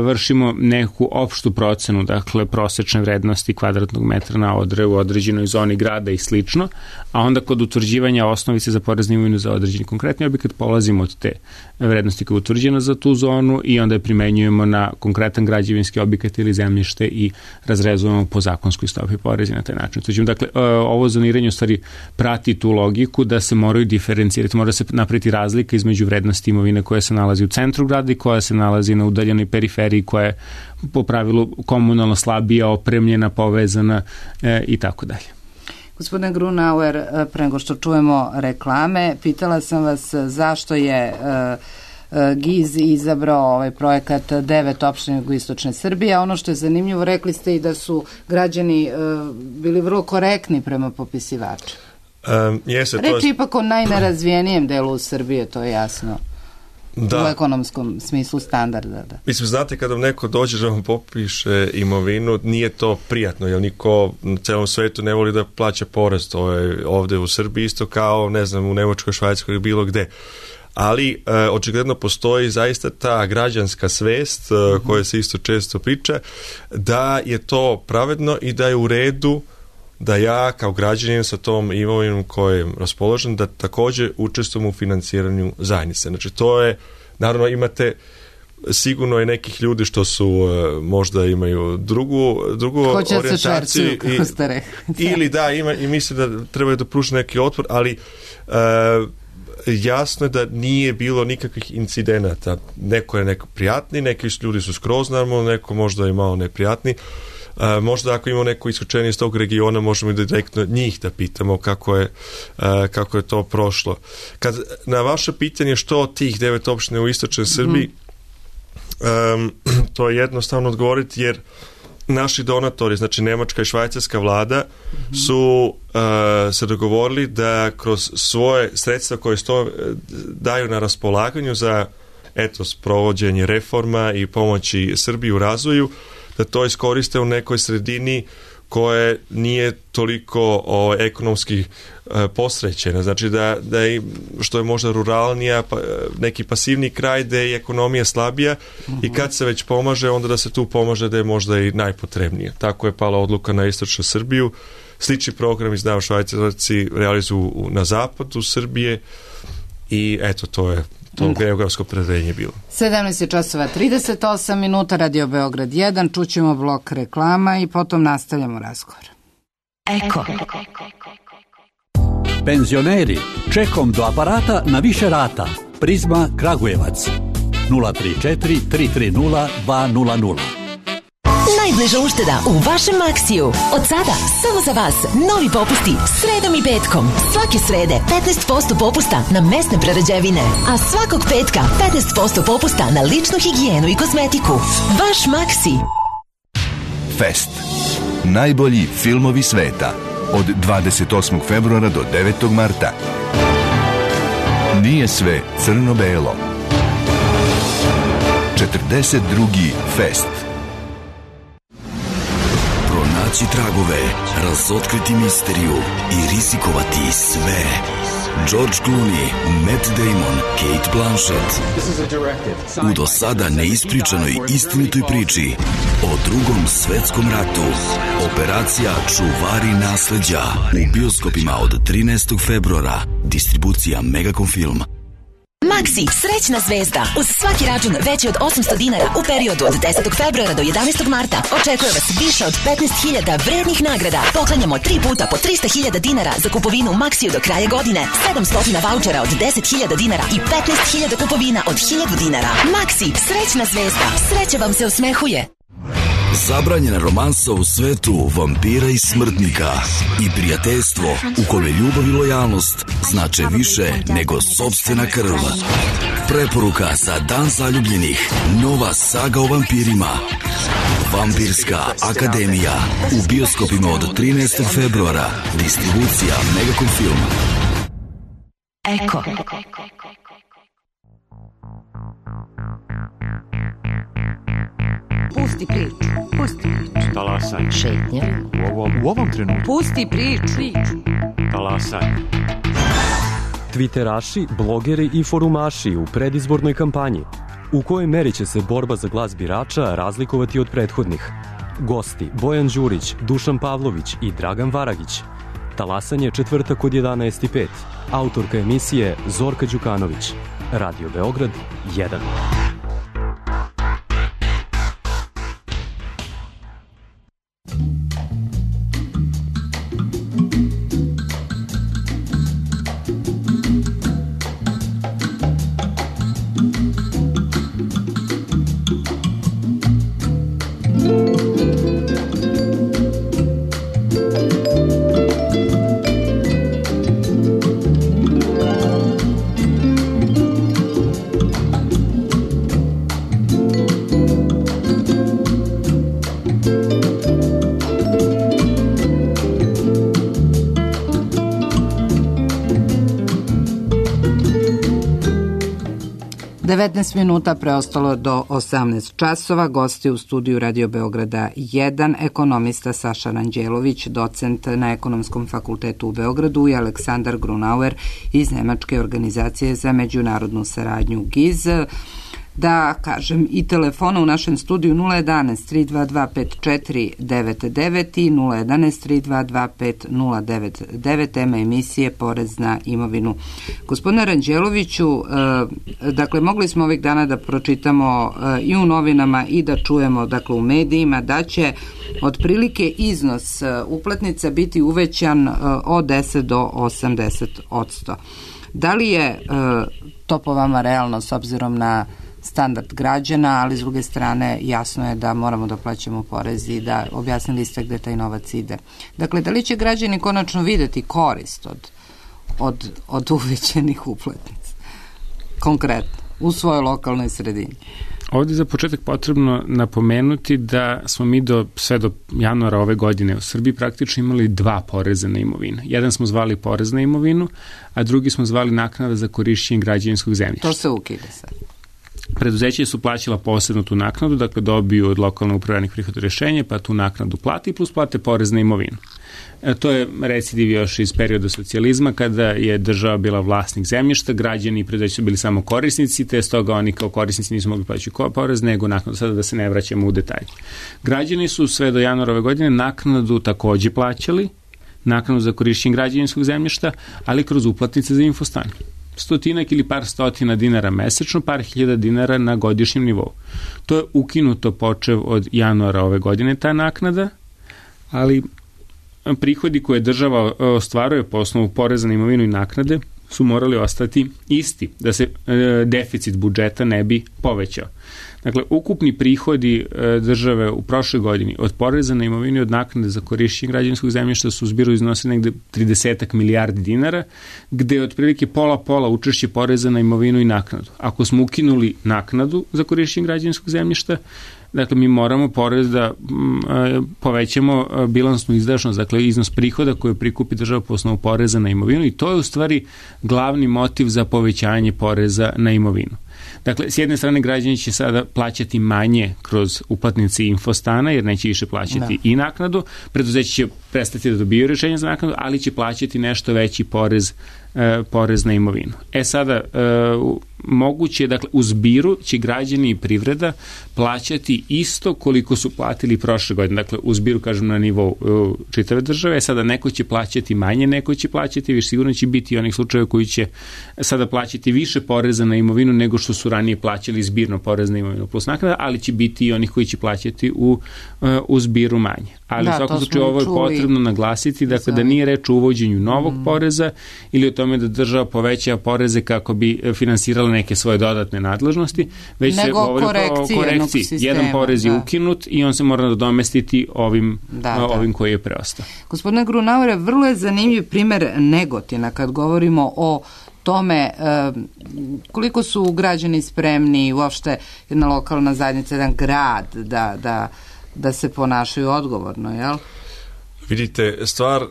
vršimo neku opštu procenu, dakle prosečne vrednosti kvadratnog metra na odre u određenoj zoni grada i slično, a onda kod utvrđivanja osnovice za porez na imovinu za određeni konkretni objekat polazimo od te vrednosti koja je utvrđena za tu zonu i onda je primenjujemo na konkretan građevinski objekat ili zemljište i razrezujemo po zakonskoj stopi poreza na taj način. Tuđim, dakle, ovo zoniranje u stvari prati tu logiku da se moraju diferencirati, mora se napraviti razlika između vrednosti imovine koja se nalazi u centru grada i koja se nalazi na udaljenoj periferiji, koja je po pravilu komunalno slabija, opremljena, povezana e, i tako dalje. Gospodine Grunauer, pre nego što čujemo reklame, pitala sam vas zašto je G I Z izabrao ovaj projekat devet opština jugoistočne Srbije, a ono što je zanimljivo, rekli ste i da su građani bili vrlo korektni prema popisivaču. Um, jeste, Reč to je... ipak o najnerazvijenijem delu Srbije, to je jasno. Da. U ekonomskom smislu standarda. Da. Mislim, znate, kada neko dođe da vam popiše imovinu, nije to prijatno, jer niko na celom svetu ne voli da plaća porez. To je ovde u Srbiji isto kao, ne znam, u Nemačkoj, Švajcarskoj ili bilo gde. Ali e, očigledno postoji zaista ta građanska svest, e, mm-hmm. koja se isto često priča, da je to pravedno i da je u redu da ja kao građanin sa tom imovinom kojom je raspoložen, da takođe učestvujem u financiranju zajednice. Znači, to je, naravno, imate sigurno i nekih ljudi što su možda imaju drugu, drugu orijentaciju. Hoće se čvercu, ili da, ima, i misle da trebaju da pruže neki otpor, ali uh, jasno je da nije bilo nikakvih incidenata. Neko je neko prijatni, neki ljudi su skroz normalno, neko možda je malo neprijatni. Uh, možda ako imamo neko isključenje iz tog regiona, možemo i direktno njih da pitamo kako je, uh, kako je to prošlo. Kad, na vaše pitanje što tih devet opština u istočnoj Srbiji, mm. um, to je jednostavno odgovoriti, jer naši donatori, znači Nemačka i Švajcarska vlada, mm. su uh, se dogovorili da kroz svoje sredstva koje sto daju na raspolaganju za eto, sprovođenje reforma i pomoći Srbiji u razvoju, da to iskoriste u nekoj sredini koje nije toliko o, ekonomski e, posrećena. Znači da, da je, što je možda ruralnija, pa, neki pasivni kraj gde je ekonomija slabija uh-huh. i kad se već pomaže, onda da se tu pomaže da je možda i najpotrebnije. Tako je pala odluka na istočnu Srbiju. Slični program izdao Švajcarci realizuju na zapadu Srbije i eto, to je to geografsko predeljenje bilo. sedamnaest časova trideset osam minuta, Radio Beograd jedan, čućemo blok reklama i potom nastavljamo razgovor. Eko. Penzioneri, čekom do aparata na više rata. Prizma Kragujevac. nula tri četiri tri tri nula dva nula nula. Najbliža ušteda u vašem Maksiju. Od sada, samo za vas, novi popusti sredom i petkom. Svake srede petnaest posto popusta na mesne prerađevine, a svakog petka petnaest posto popusta na ličnu higijenu i kozmetiku. Vaš Maksi. Fest. Najbolji filmovi sveta. Od dvadeset osmog februara do devetog marta. Nije sve crno-belo. četrdeset drugi Fest. Pronaći tragove, razotkriti misteriju i rizikovati sve. George Clooney, Matt Damon, Kate Blanchett. U do sada neispričanoj istinitoj priči o drugom svetskom ratu. Operacija Čuvari nasleđa u bioskopima od trinaestog februara. Distribucija Megacom Film. Maksi, srećna zvezda. Uz svaki račun veći od osamsto dinara u periodu od desetog februara do jedanaestog marta očekuje vas više od petnaest hiljada vrednih nagrada. Poklanjamo tri puta po trista hiljada dinara za kupovinu u Maksiju do kraja godine, sedamsto vaučera od deset hiljada dinara i petnaest hiljada kupovina od hiljadu dinara. Maksi, srećna zvezda. Sreća vam se osmehuje. Zabranjena romansa u svetu vampira i smrtnika i prijateljstvo u kome ljubav i lojalnost znače više nego sopstvena krv. Preporuka za Dan zaljubljenih. Nova saga o vampirima. Vampirska akademija u bioskopima od trinaestog februara. Distribucija Megacom Film. Eko. Pusti priču, pusti priču. Talasaj. Šetnja. U ovom, u ovom trenutku. Pusti priču. Talasaj. Twitteraši, blogeri i forumaši u predizbornoj kampanji. U kojoj meri će se borba za glas birača razlikovati od prethodnih? Gosti Bojan Đurić, Dušan Pavlović i Dragan Varagić. Talasanje četvrtak od jedanaest i pet. Autorka emisije Zorka Đukanović. Radio Beograd jedan. devetnaest minuta preostalo do osamnaest časova. Gosti u studiju Radio Beograda jedan, ekonomista Saša Ranđelović, docent na Ekonomskom fakultetu u Beogradu, i Aleksandar Grunauer iz Nemačke organizacije za međunarodnu saradnju G I Z. Da kažem i telefona u našem studiju nula jedanaest tri dva dva pet četiri devet devet i nula jedanaest tri dva dva pet nula devet devet, tema emisije Porez na imovinu. Gospodine Ranđeloviću, dakle, mogli smo ovih dana da pročitamo i u novinama i da čujemo, dakle, u medijima, da će otprilike iznos uplatnica biti uvećan od deset do osamdeset odsto. Da li je to po vama realno s obzirom na standard građana, ali s druge strane jasno je da moramo da plaćamo porez i da objasnili ste gde taj novac ide. Dakle, da li će građani konačno videti korist od, od, od uvećenih uplatnica? Konkretno, u svojoj lokalnoj sredini. Ovdje za početak potrebno napomenuti da smo mi do, sve do januara ove godine u Srbiji praktično imali dva poreza na imovinu. Jedan smo zvali porez na imovinu, a drugi smo zvali naknada za korišćenje građevinskog zemljišta. To se ukida sad. Preduzeće su plaćala posebno tu naknadu, dakle dobiju od lokalne upravljenih prihoda rešenje, pa tu naknadu plati plus plate porez na imovinu. E, to je recidiv još iz perioda socijalizma, kada je država bila vlasnik zemljišta, građani i preduzeće su bili samo korisnici, te stoga oni kao korisnici nisu mogli plaćati porez, nego naknadu, sada da se ne vraćamo u detalje. Građani su sve do januara ove godine naknadu takođe plaćali, naknadu za korišćenje građevinskog zemljišta, ali kroz uplatnice za infostan. Stotinak ili par stotina dinara mesečno, par hiljada dinara na godišnjem nivou. To je ukinuto počev od januara ove godine, ta naknada, ali prihodi koje država ostvaruje po osnovu poreza na imovinu i naknade su morali ostati isti, da se e, deficit budžeta ne bi povećao. Dakle, ukupni prihodi e, države u prošloj godini od poreza na imovinu i od naknade za korišćenje građevinskog zemljišta su u zbiru iznosili negde trideset milijardi dinara, gde je otprilike pola-pola učešće poreza na imovinu i naknadu. Ako smo ukinuli naknadu za korišćenje građevinskog zemljišta, dakle, mi moramo porez da m, povećamo bilansnu izdašnost, dakle, iznos prihoda koje prikupi država po osnovu poreza na imovinu, i to je u stvari glavni motiv za povećanje poreza na imovinu. Dakle, s jedne strane građani će sada plaćati manje kroz uplatnice infostana, jer neće više plaćati da. i naknadu, preduzeće će prestati da dobiju rješenje za naknadu, ali će plaćati nešto veći porez, e, porez na imovinu. E sada, e, moguće, dakle, u zbiru će građani i privreda plaćati isto koliko su platili prošle godine. Dakle, u zbiru, kažem, na nivou e, čitave države. E sada, neko će plaćati manje, neko će plaćati više. Sigurno će biti onih slučajeva koji će sada plaćati više poreza na imovinu nego što su ranije plaćali zbirno porez na imovinu plus naknada, ali će biti i onih koji će plaćati u, u zbiru manje. Ali da, u svakom slučaju ovo je potrebno naglasiti, dakle, da nije reč o uvođenju novog mm. poreza ili o tome da država poveća poreze kako bi finansirala neke svoje dodatne nadležnosti, već nego se govori o korekciji. Sistema, jedan porez da. je ukinut i on se mora nadomestiti ovim, da, ovim da. koji je preostao. Gospodine Grunauer, vrlo je zanimljiv primer Negotina kad govorimo o tome koliko su građani spremni, uopšte jedna lokalna zajednica, jedan grad da, da, da se ponašaju odgovorno, jel? Vidite, stvar uh,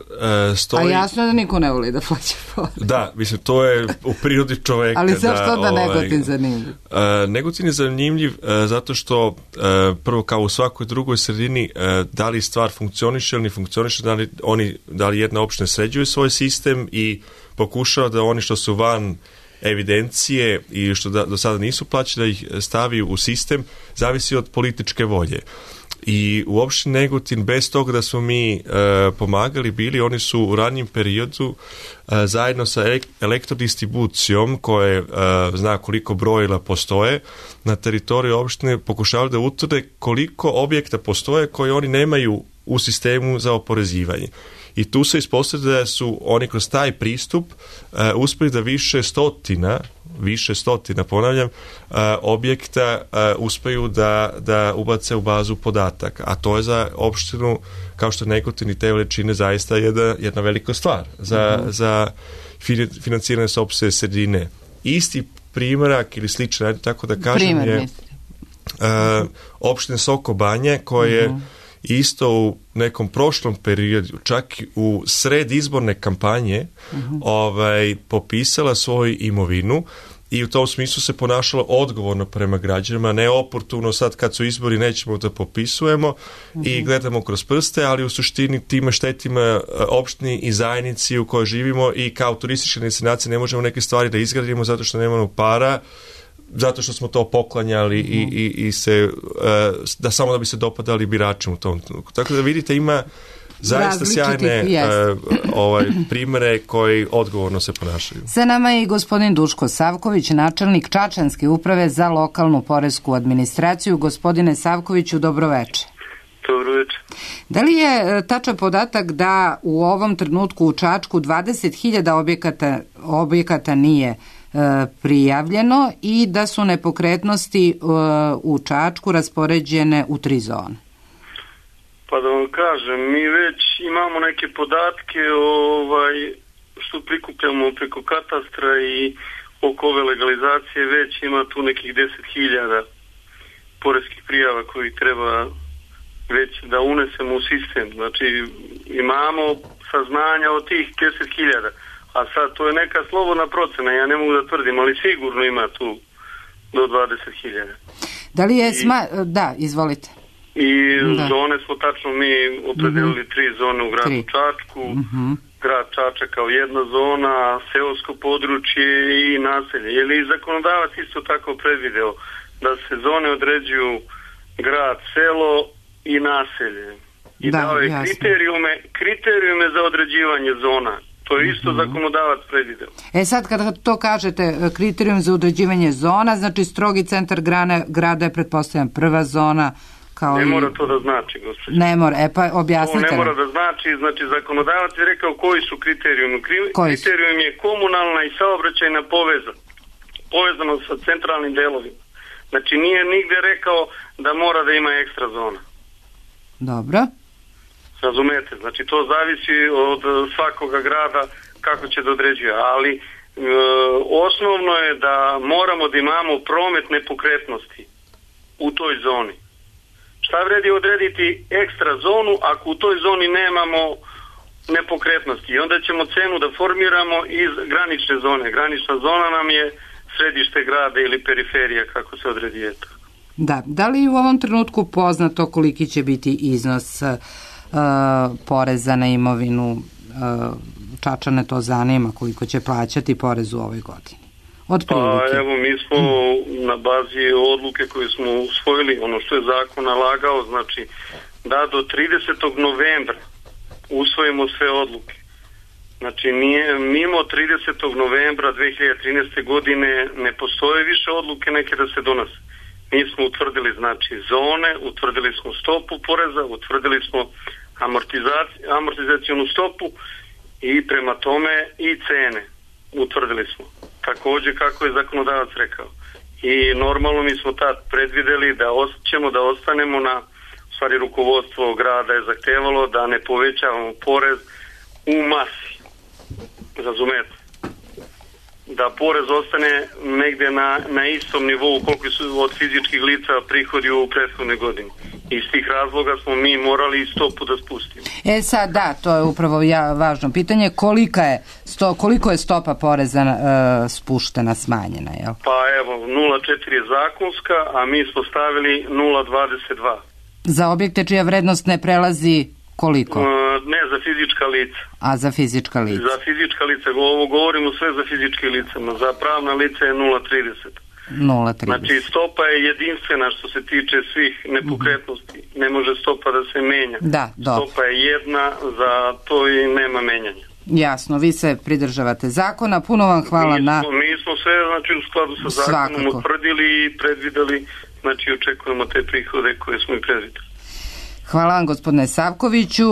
stoji... A jasno je da niko ne voli da plaća porez. Da, mislim, to je u prirodi čoveka. Ali zašto da, da Negotin zanimljiv? Uh, Negotin je zanimljiv uh, zato što uh, prvo kao u svakoj drugoj sredini uh, da li stvar funkcioniše ili ne funkcioniše, da li, oni, da li jedna opština sređuje svoj sistem i pokušava da oni što su van evidencije i što da, do sada nisu plaćeni, da ih stavi u sistem, zavisi od političke volje. I u opštini Negotin, bez toga da smo mi e, pomagali bili, oni su u ranijim periodu e, zajedno sa elektrodistribucijom koje e, zna koliko brojila postoje na teritoriji opštine, pokušavali da utvrde koliko objekta postoje koji oni nemaju u sistemu za oporezivanje. I tu se ispostavlja da su oni kroz taj pristup uh, uspeli da više stotina, više stotina, ponavljam, uh, objekta uh, uspeju da, da ubace u bazu podataka. A to je za opštinu, kao što Negotin i te veličine, zaista jedna, jedna velika stvar za, uh-huh. za financiranje sopstvene sredine. Isti primjerak ili sličan, tako da kažem, Primer, je uh, opštine Soko Banje, koje uh-huh. isto u nekom prošlom periodu, čak u sred izborne kampanje, uh-huh. ovaj, popisala svoju imovinu i u tom smislu se ponašala odgovorno prema građanima, ne oportuno sad kad su izbori nećemo da popisujemo uh-huh. i gledamo kroz prste, ali u suštini time štetima opštini i zajednici u kojoj živimo i kao turistička destinacija ne možemo neke stvari da izgradimo zato što nemamo para, zato što smo to poklanjali mm. i, i, i se, uh, da samo da bi se dopadali biračima u tom trenutku. Tako da vidite, ima zaista sjajne uh, ovaj, primere koji odgovorno se ponašaju. Sa nama je i gospodin Duško Savković, načelnik Čačanske uprave za lokalnu poresku administraciju. Gospodine Savkoviću, dobroveče. Dobroveče. Da li je tačan podatak da u ovom trenutku u Čačku dvadeset hiljada objekata, objekata nije prijavljeno i da su nepokretnosti u Čačku raspoređene u tri zone? Pa da vam kažem, mi već imamo neke podatke ovaj, što prikupljamo preko katastra i oko ove legalizacije, već ima tu nekih deset hiljada poreskih prijava koji treba već da unesemo u sistem. Znači imamo saznanja od tih deset hiljada. A sad, to je neka slobodna procena, ja ne mogu da tvrdim, ali sigurno ima tu do dvadeset hiljada. Da li je sma... Da, izvolite. I da. Zone smo tačno mi opredelili mm-hmm. tri zone u gradu tri. Čačku, mm-hmm. grad Čačak kao jedna zona, seosko područje i naselje. Je li zakonodavac isto tako predvideo da se zone određuju grad, selo i naselje? I da, dao je kriterijume, kriterijume za određivanje zona. To je isto zakonodavac predvideo. E sad kada to kažete, kriterijum za određivanje zona, znači strogi centar grane, grada je pretpostavljam prva zona. Kao ne i... mora to da znači, gospođo. Ne mora, e pa objasnite. To ne mora da znači, znači zakonodavac je rekao koji su kriterijumi. Kriterijum je komunalna i saobraćajna poveza, povezano sa centralnim delovima. Znači nije nigde rekao da mora da ima ekstra zona. Dobro. Razumete, znači to zavisi od svakoga grada kako će da određuje, ali e, osnovno je da moramo da imamo promet nepokretnosti u toj zoni. Šta vredi odrediti ekstra zonu ako u toj zoni nemamo nepokretnosti? I onda ćemo cenu da formiramo iz granične zone. Granična zona nam je središte grada ili periferija, kako se odredi eto. Da, da li u ovom trenutku poznato koliki će biti iznos Uh, poreza na imovinu uh, Čačane to zanima koliko će plaćati porez u ovoj godini? Od prilike. Pa evo mi smo mm. na bazi odluke koje smo usvojili, ono što je zakon nalagao, znači da do tridesetog novembra usvojimo sve odluke. Znači nije, mimo tridesetog novembra dve hiljade trinaeste. godine ne postoje više odluke neke da se donose. Mi smo utvrdili znači zone, utvrdili smo stopu poreza, utvrdili smo amortizacijonu stopu i prema tome i cene utvrdili smo. Također kako je zakonodavac rekao. I normalno mi smo tad predvideli da ćemo da ostanemo na, u stvari rukovodstvo grada je zahtevalo da ne povećavamo porez u masi. Razumete? Da porez ostane negde na, na istom nivou koliko su od fizičkih lica prihodi u prethodnoj godini. Iz tih razloga smo mi morali stopu da spustimo. E sad da, to je upravo ja, važno pitanje. Kolika je sto, koliko je stopa poreza uh, spuštena, smanjena? Jel? Pa evo, nula zarez četiri je zakonska, a mi smo stavili nula zarez dvadeset dva. Za objekte čija vrednost ne prelazi Koliko? Ne, za fizička lica. A za fizička lica? Za fizička lica, ovo govorimo sve za fizičke lica, za pravna lica je nula zarez trideset. nula zarez trideset. Znači stopa je jedinstvena što se tiče svih nepokretnosti. Ne može stopa da se menja. Da, dobro. Stopa je jedna, za to i nema menjanja. Jasno, vi se pridržavate zakona. Puno vam hvala mi na... Smo, mi smo sve znači, u skladu sa zakonom Svakako. utvrdili i predvideli, znači očekujemo te prihode koje smo i predvideli. Hvala vam, gospodine Savkoviću,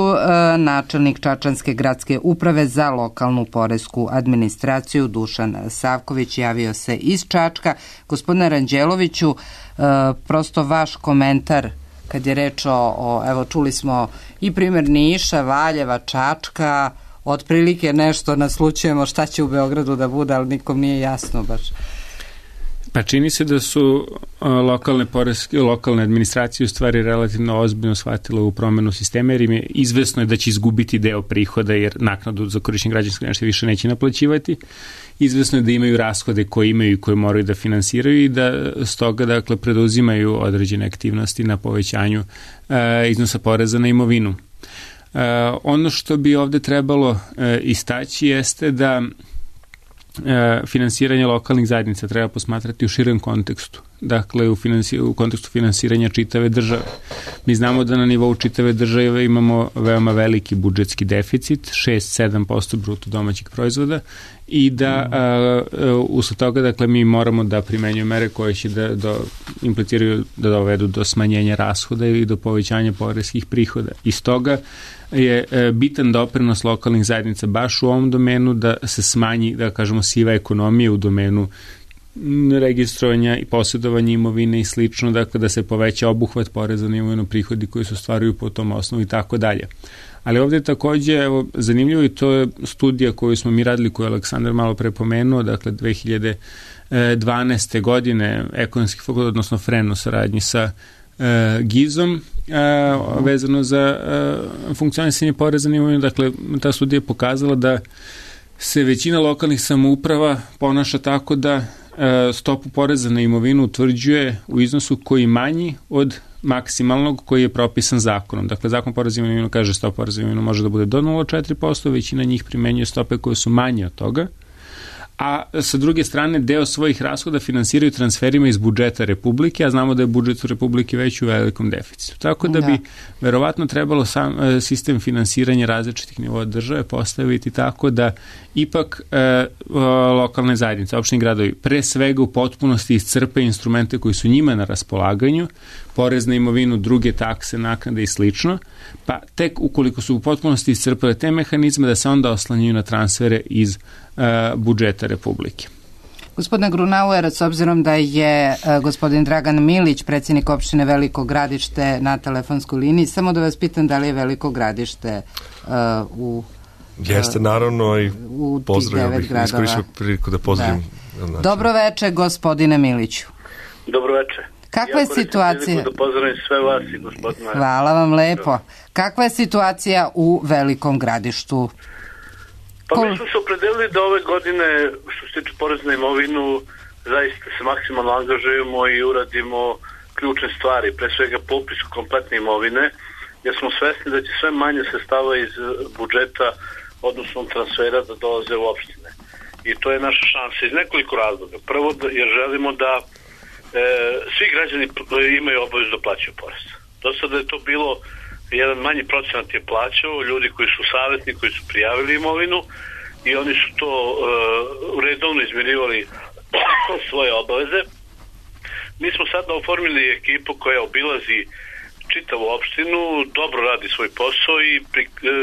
načelnik Čačanske gradske uprave za lokalnu poresku administraciju Dušan Savković javio se iz Čačka. Gospodine Ranđeloviću, prosto vaš komentar kad je reč o, o evo čuli smo i primjer Niša, Valjeva, Čačka, otprilike nešto naslućujemo šta će u Beogradu da bude, ali nikom nije jasno baš. Pa čini se da su lokalne poreske, lokalne administracije u stvari relativno ozbiljno shvatile u promenu sistema, jer im je izvesno je da će izgubiti deo prihoda, jer naknadu za korišćenje građanskog nešto više neće naplaćivati. Izvesno je da imaju rashode koje imaju i koje moraju da finansiraju i da stoga dakle preduzimaju određene aktivnosti na povećanju e, iznosa poreza na imovinu. E, ono što bi ovde trebalo e, istaći jeste da finansiranje lokalnih zajednica treba posmatrati u širem kontekstu, dakle u, finansi, u kontekstu finansiranja čitave države. Mi znamo da na nivou čitave države imamo veoma veliki budžetski deficit, šest do sedam posto bruto domaćeg proizvoda i da uh, usled toga dakle mi moramo da primenjujemo mere koje će da do, impliciraju da dovedu do smanjenja rashoda i do povećanja poreskih prihoda. Iz toga je bitan doprinos lokalnih zajednica baš u ovom domenu da se smanji, da kažemo, siva ekonomija u domenu registrovanja i posjedovanja imovine i slično, dakle da se poveća obuhvat poreza na imovinu, prihodi koji se ostvaruju po tom osnovu i tako dalje. Ali ovdje je takođe evo, zanimljivo i to je studija koju smo mi radili, koju je Aleksandar malo pre pomenuo, dakle dve hiljade dvanaeste. godine ekonomski fakultet, odnosno F R E N u saradnji sa E, Gizom e, vezano za e, funkcionisanje poreza na imovinu. Dakle, ta studija je pokazala da se većina lokalnih samouprava ponaša tako da e, stopu poreza na imovinu utvrđuje u iznosu koji je manji od maksimalnog koji je propisan zakonom. Dakle, zakon poreza na imovinu kaže stopa poreza na imovinu može da bude do nula zarez četiri posto, većina njih primenjuje stope koje su manje od toga, a sa druge strane deo svojih rashoda finansiraju transferima iz budžeta Republike, a znamo da je budžet u Republike već u velikom deficitu. Tako da, da. bi verovatno trebalo sam sistem finansiranja različitih nivoa države postaviti tako da ipak e, lokalne zajednice, opštini gradovi, pre svega u potpunosti iscrpe instrumente koji su njima na raspolaganju, porez na imovinu, druge takse, naknade i slično, pa tek ukoliko su u potpunosti iscrpale te mehanizme da se onda oslanjaju na transfere iz uh, budžeta Republike. Gospodine Grunauer, s obzirom da je uh, gospodin Dragan Milić, predsjednik opštine Veliko Gradište, na telefonskoj liniji, samo da vas pitam da li je Veliko Gradište uh, u Jeste, naravno, i pozdravljam bih, iskoristio priliku da pozdravim. Da. Znači. Dobro veče, gospodine Miliću. Dobro veče. Kakva je situacija? Da pozdravim sve vas i gospodina. Hvala vam lepo. Kakva je situacija u Velikom Gradištu? Pa mi smo se opredelili da ove godine, što se tiče poreza na imovinu, zaista se maksimalno angažujemo i uradimo ključne stvari, pre svega popis kompletne imovine, jer smo svesni da će sve manje sredstava iz budžeta, odnosno transfera, da dolaze u opštine. I to je naša šansa iz nekoliko razloga. Prvo, jer želimo da e, svi građani imaju obavezu da plaćaju porez. Do sada je to bilo, jedan manji procenat je plaćao, ljudi koji su savjetni, koji su prijavili imovinu i oni su to e, redovno izmirivali svoje obaveze. Mi smo sada oformili ekipu koja obilazi čitavu opštinu, dobro radi svoj posao i pri, e,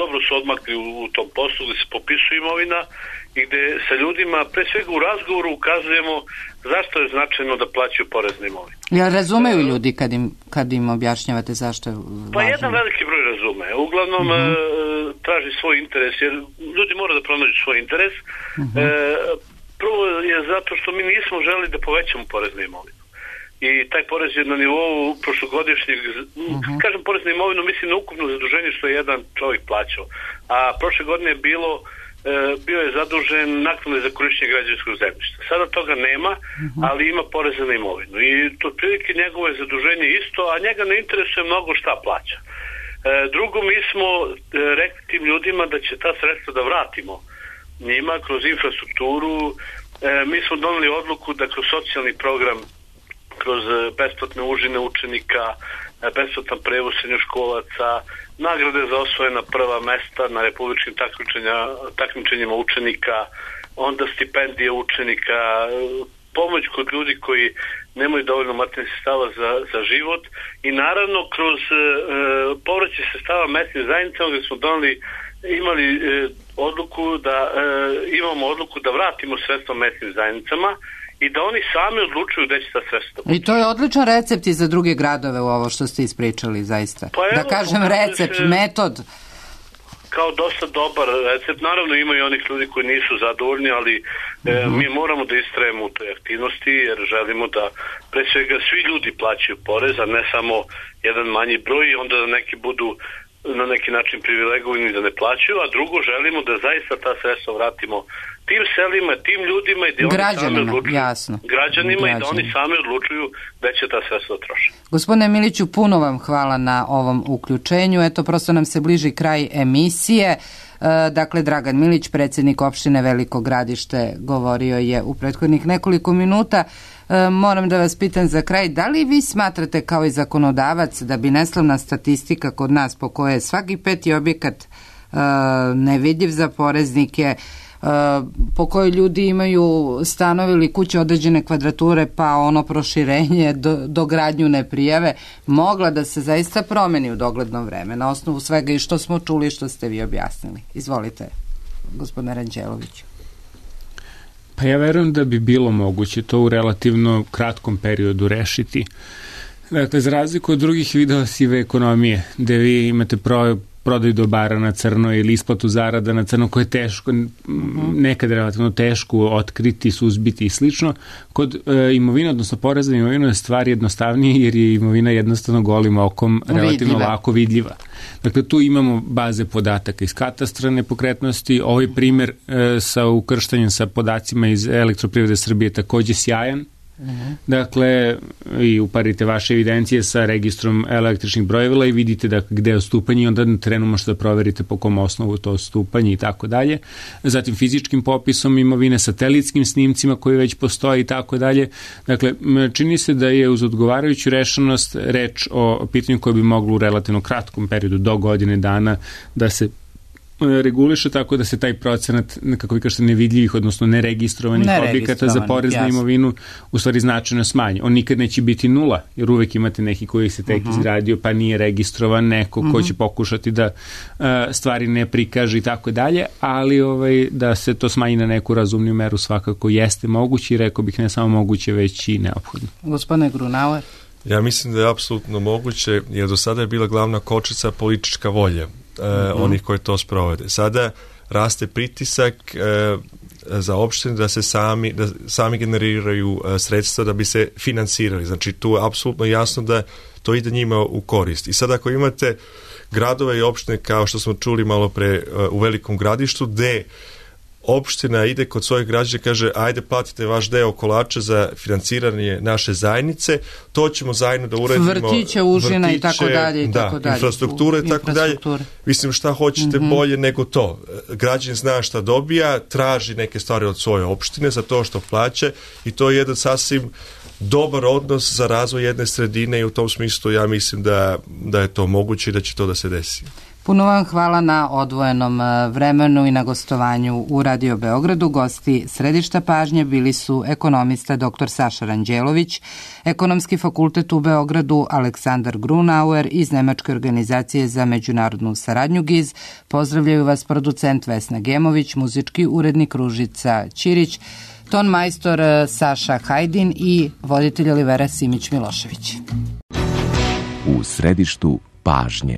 dobro su odmakli u, u tom poslu gde se popisuje imovina i gde sa ljudima, pre svega u razgovoru, ukazujemo zašto je značajno da plaćaju porez na imovinu. Ja razumeju ljudi kad im, kad im objašnjavate zašto je važno? Pa jedan veliki broj razume. Uglavnom mm-hmm. e, traži svoj interes, jer ljudi moraju da pronađu svoj interes. Mm-hmm. E, prvo je zato što mi nismo želi da povećamo porez na imovinu. I taj porez je na nivou prošlogodišnjeg, uh-huh. kažem porez na imovinu, mislim na ukupno zaduženje što je jedan čovjek plaćao. A prošle godine je bilo, e, bio je zadužen naknade za korišćenje građevinskog zemljišta. Sada toga nema, uh-huh. ali ima poreza na imovinu. I to prilike njegovo je zaduženje isto, a njega ne interesuje mnogo šta plaća. E, Drugo, mi smo rekli tim ljudima da će ta sredstva da vratimo njima kroz infrastrukturu. Mi smo doneli odluku da kroz socijalni program, kroz besplatne užine učenika, besplatan prevoz srednjoškolaca, nagrade za osvojena prva mesta na republičkim takmičenjima učenika, onda stipendije učenika, pomoć kod ljudi koji nemaju dovoljno materijalnih sredstava za, za život i naravno kroz e, povraćaj sredstava mesnim zajednicama gdje smo doneli, imali e, odluku da e, imamo odluku da vratimo sredstva mesnim zajednicama i da oni sami odlučuju gde će ta sredstva. I to je odličan recept i za druge gradove u ovo što ste ispričali, zaista. Pa evo, da kažem recept, se... metod. Kao dosta dobar recept. Naravno ima i onih ljudi koji nisu zadovoljni, ali e, uh-huh. mi moramo da istrajemo u toj aktivnosti jer želimo da pre svega svi ljudi plaćaju porez, a ne samo jedan manji broj i onda da neki budu na neki način privilegovani da ne plaćaju, a drugo želimo da zaista ta sredstva vratimo tim selima, tim ljudima i da oni sami odlučuju, jasno. građanima Građanima. i da oni sami odlučuju da će ta sredstva trošiti. Gospodine Miliću, puno vam hvala na ovom uključenju. Eto, prosto nam se bliži kraj emisije. E, dakle, Dragan Milić, predsjednik opštine Veliko Gradište, govorio je u prethodnih nekoliko minuta. E, moram da vas pitam za kraj, da li vi smatrate kao i zakonodavac da bi neslavna statistika kod nas po kojoj je svaki peti objekat e, nevidljiv za poreznike, po kojoj ljudi imaju stanovi ili kuće određene kvadrature pa ono proširenje do, do gradnju ne prijave, mogla da se zaista promeni u dogledno vreme na osnovu svega i što smo čuli i što ste vi objasnili. Izvolite, gospodine Ranđeloviću. Pa ja verujem da bi bilo moguće to u relativno kratkom periodu rešiti. Dakle, za razliku od drugih vidova sive ekonomije, gde vi imate pro prodaju dobara na crno ili isplatu zarada na crno koje je teško, uh-huh. nekad relativno teško otkriti, suzbiti i slično. Kod e, imovina, odnosno poreza na imovinu je stvar jednostavnije jer je imovina jednostavno golim okom relativno vidljiva. lako vidljiva. Dakle, tu imamo baze podataka iz katastra nepokretnosti. Ovaj primjer e, sa ukrštanjem sa podacima iz Elektroprivrede Srbije takođe sjajan. Uh-huh. Dakle, i uparite vaše evidencije sa registrom električnih brojevila i vidite da gde je odstupanje i onda na terenu možete da proverite po kom osnovu to odstupanje i tako dalje. Zatim fizičkim popisom imovine, satelitskim snimcima koji već postoji i tako dalje. Dakle, čini se da je uz odgovarajuću rešenost reč o pitanju koje bi moglo u relativno kratkom periodu do godine dana da se reguliše tako da se taj procenat, kako vi kažete, nevidljivih, odnosno neregistrovanih objekata za porez na imovinu u stvari značajno smanji. On nikad neće biti nula, jer uvek imate neki koji se tek uh-huh. izgradio pa nije registrovan, neko uh-huh. ko će pokušati da uh, stvari ne prikaže i tako dalje, ali ovaj, da se to smanji na neku razumniju meru svakako jeste moguće i rekao bih ne samo moguće, već i neophodno. Gospodine Grunauer? Ja mislim da je apsolutno moguće, jer do sada je bila glavna kočnica politička volja. Uh, onih koji to sprovode. Sada raste pritisak uh, za opštine da se sami, da sami generiraju uh, sredstva da bi se finansirali. Znači tu je apsolutno jasno da to ide njima u korist. I sad ako imate gradove i opštine kao što smo čuli malo pre uh, u Velikom Gradištu gde opština ide kod svojih građana i kaže ajde platite vaš deo kolača za financiranje naše zajednice, to ćemo zajedno da uradimo. Vrtiće, užina vrtiće, i tako dalje. I da, tako dalje. infrastrukture i tako dalje. Mislim šta hoćete mm-hmm. bolje nego to. Građan zna šta dobija, traži neke stvari od svoje opštine za to što plaća i to je jedan sasvim dobar odnos za razvoj jedne sredine i u tom smislu ja mislim da, da je to moguće i da će to da se desi. Puno vam hvala na odvojenom vremenu i na gostovanju u Radio Beogradu. Gosti središta pažnje bili su ekonomista doktor Saša Ranđelović, Ekonomski fakultet u Beogradu Aleksandar Grunauer iz Nemačke organizacije za međunarodnu saradnju G I Z. Pozdravljaju vas producent Vesna Gemović, muzički urednik Ružica Ćirić, ton majstor Saša Hajdin i voditelj Olivera Simić Milošević. U središtu pažnje.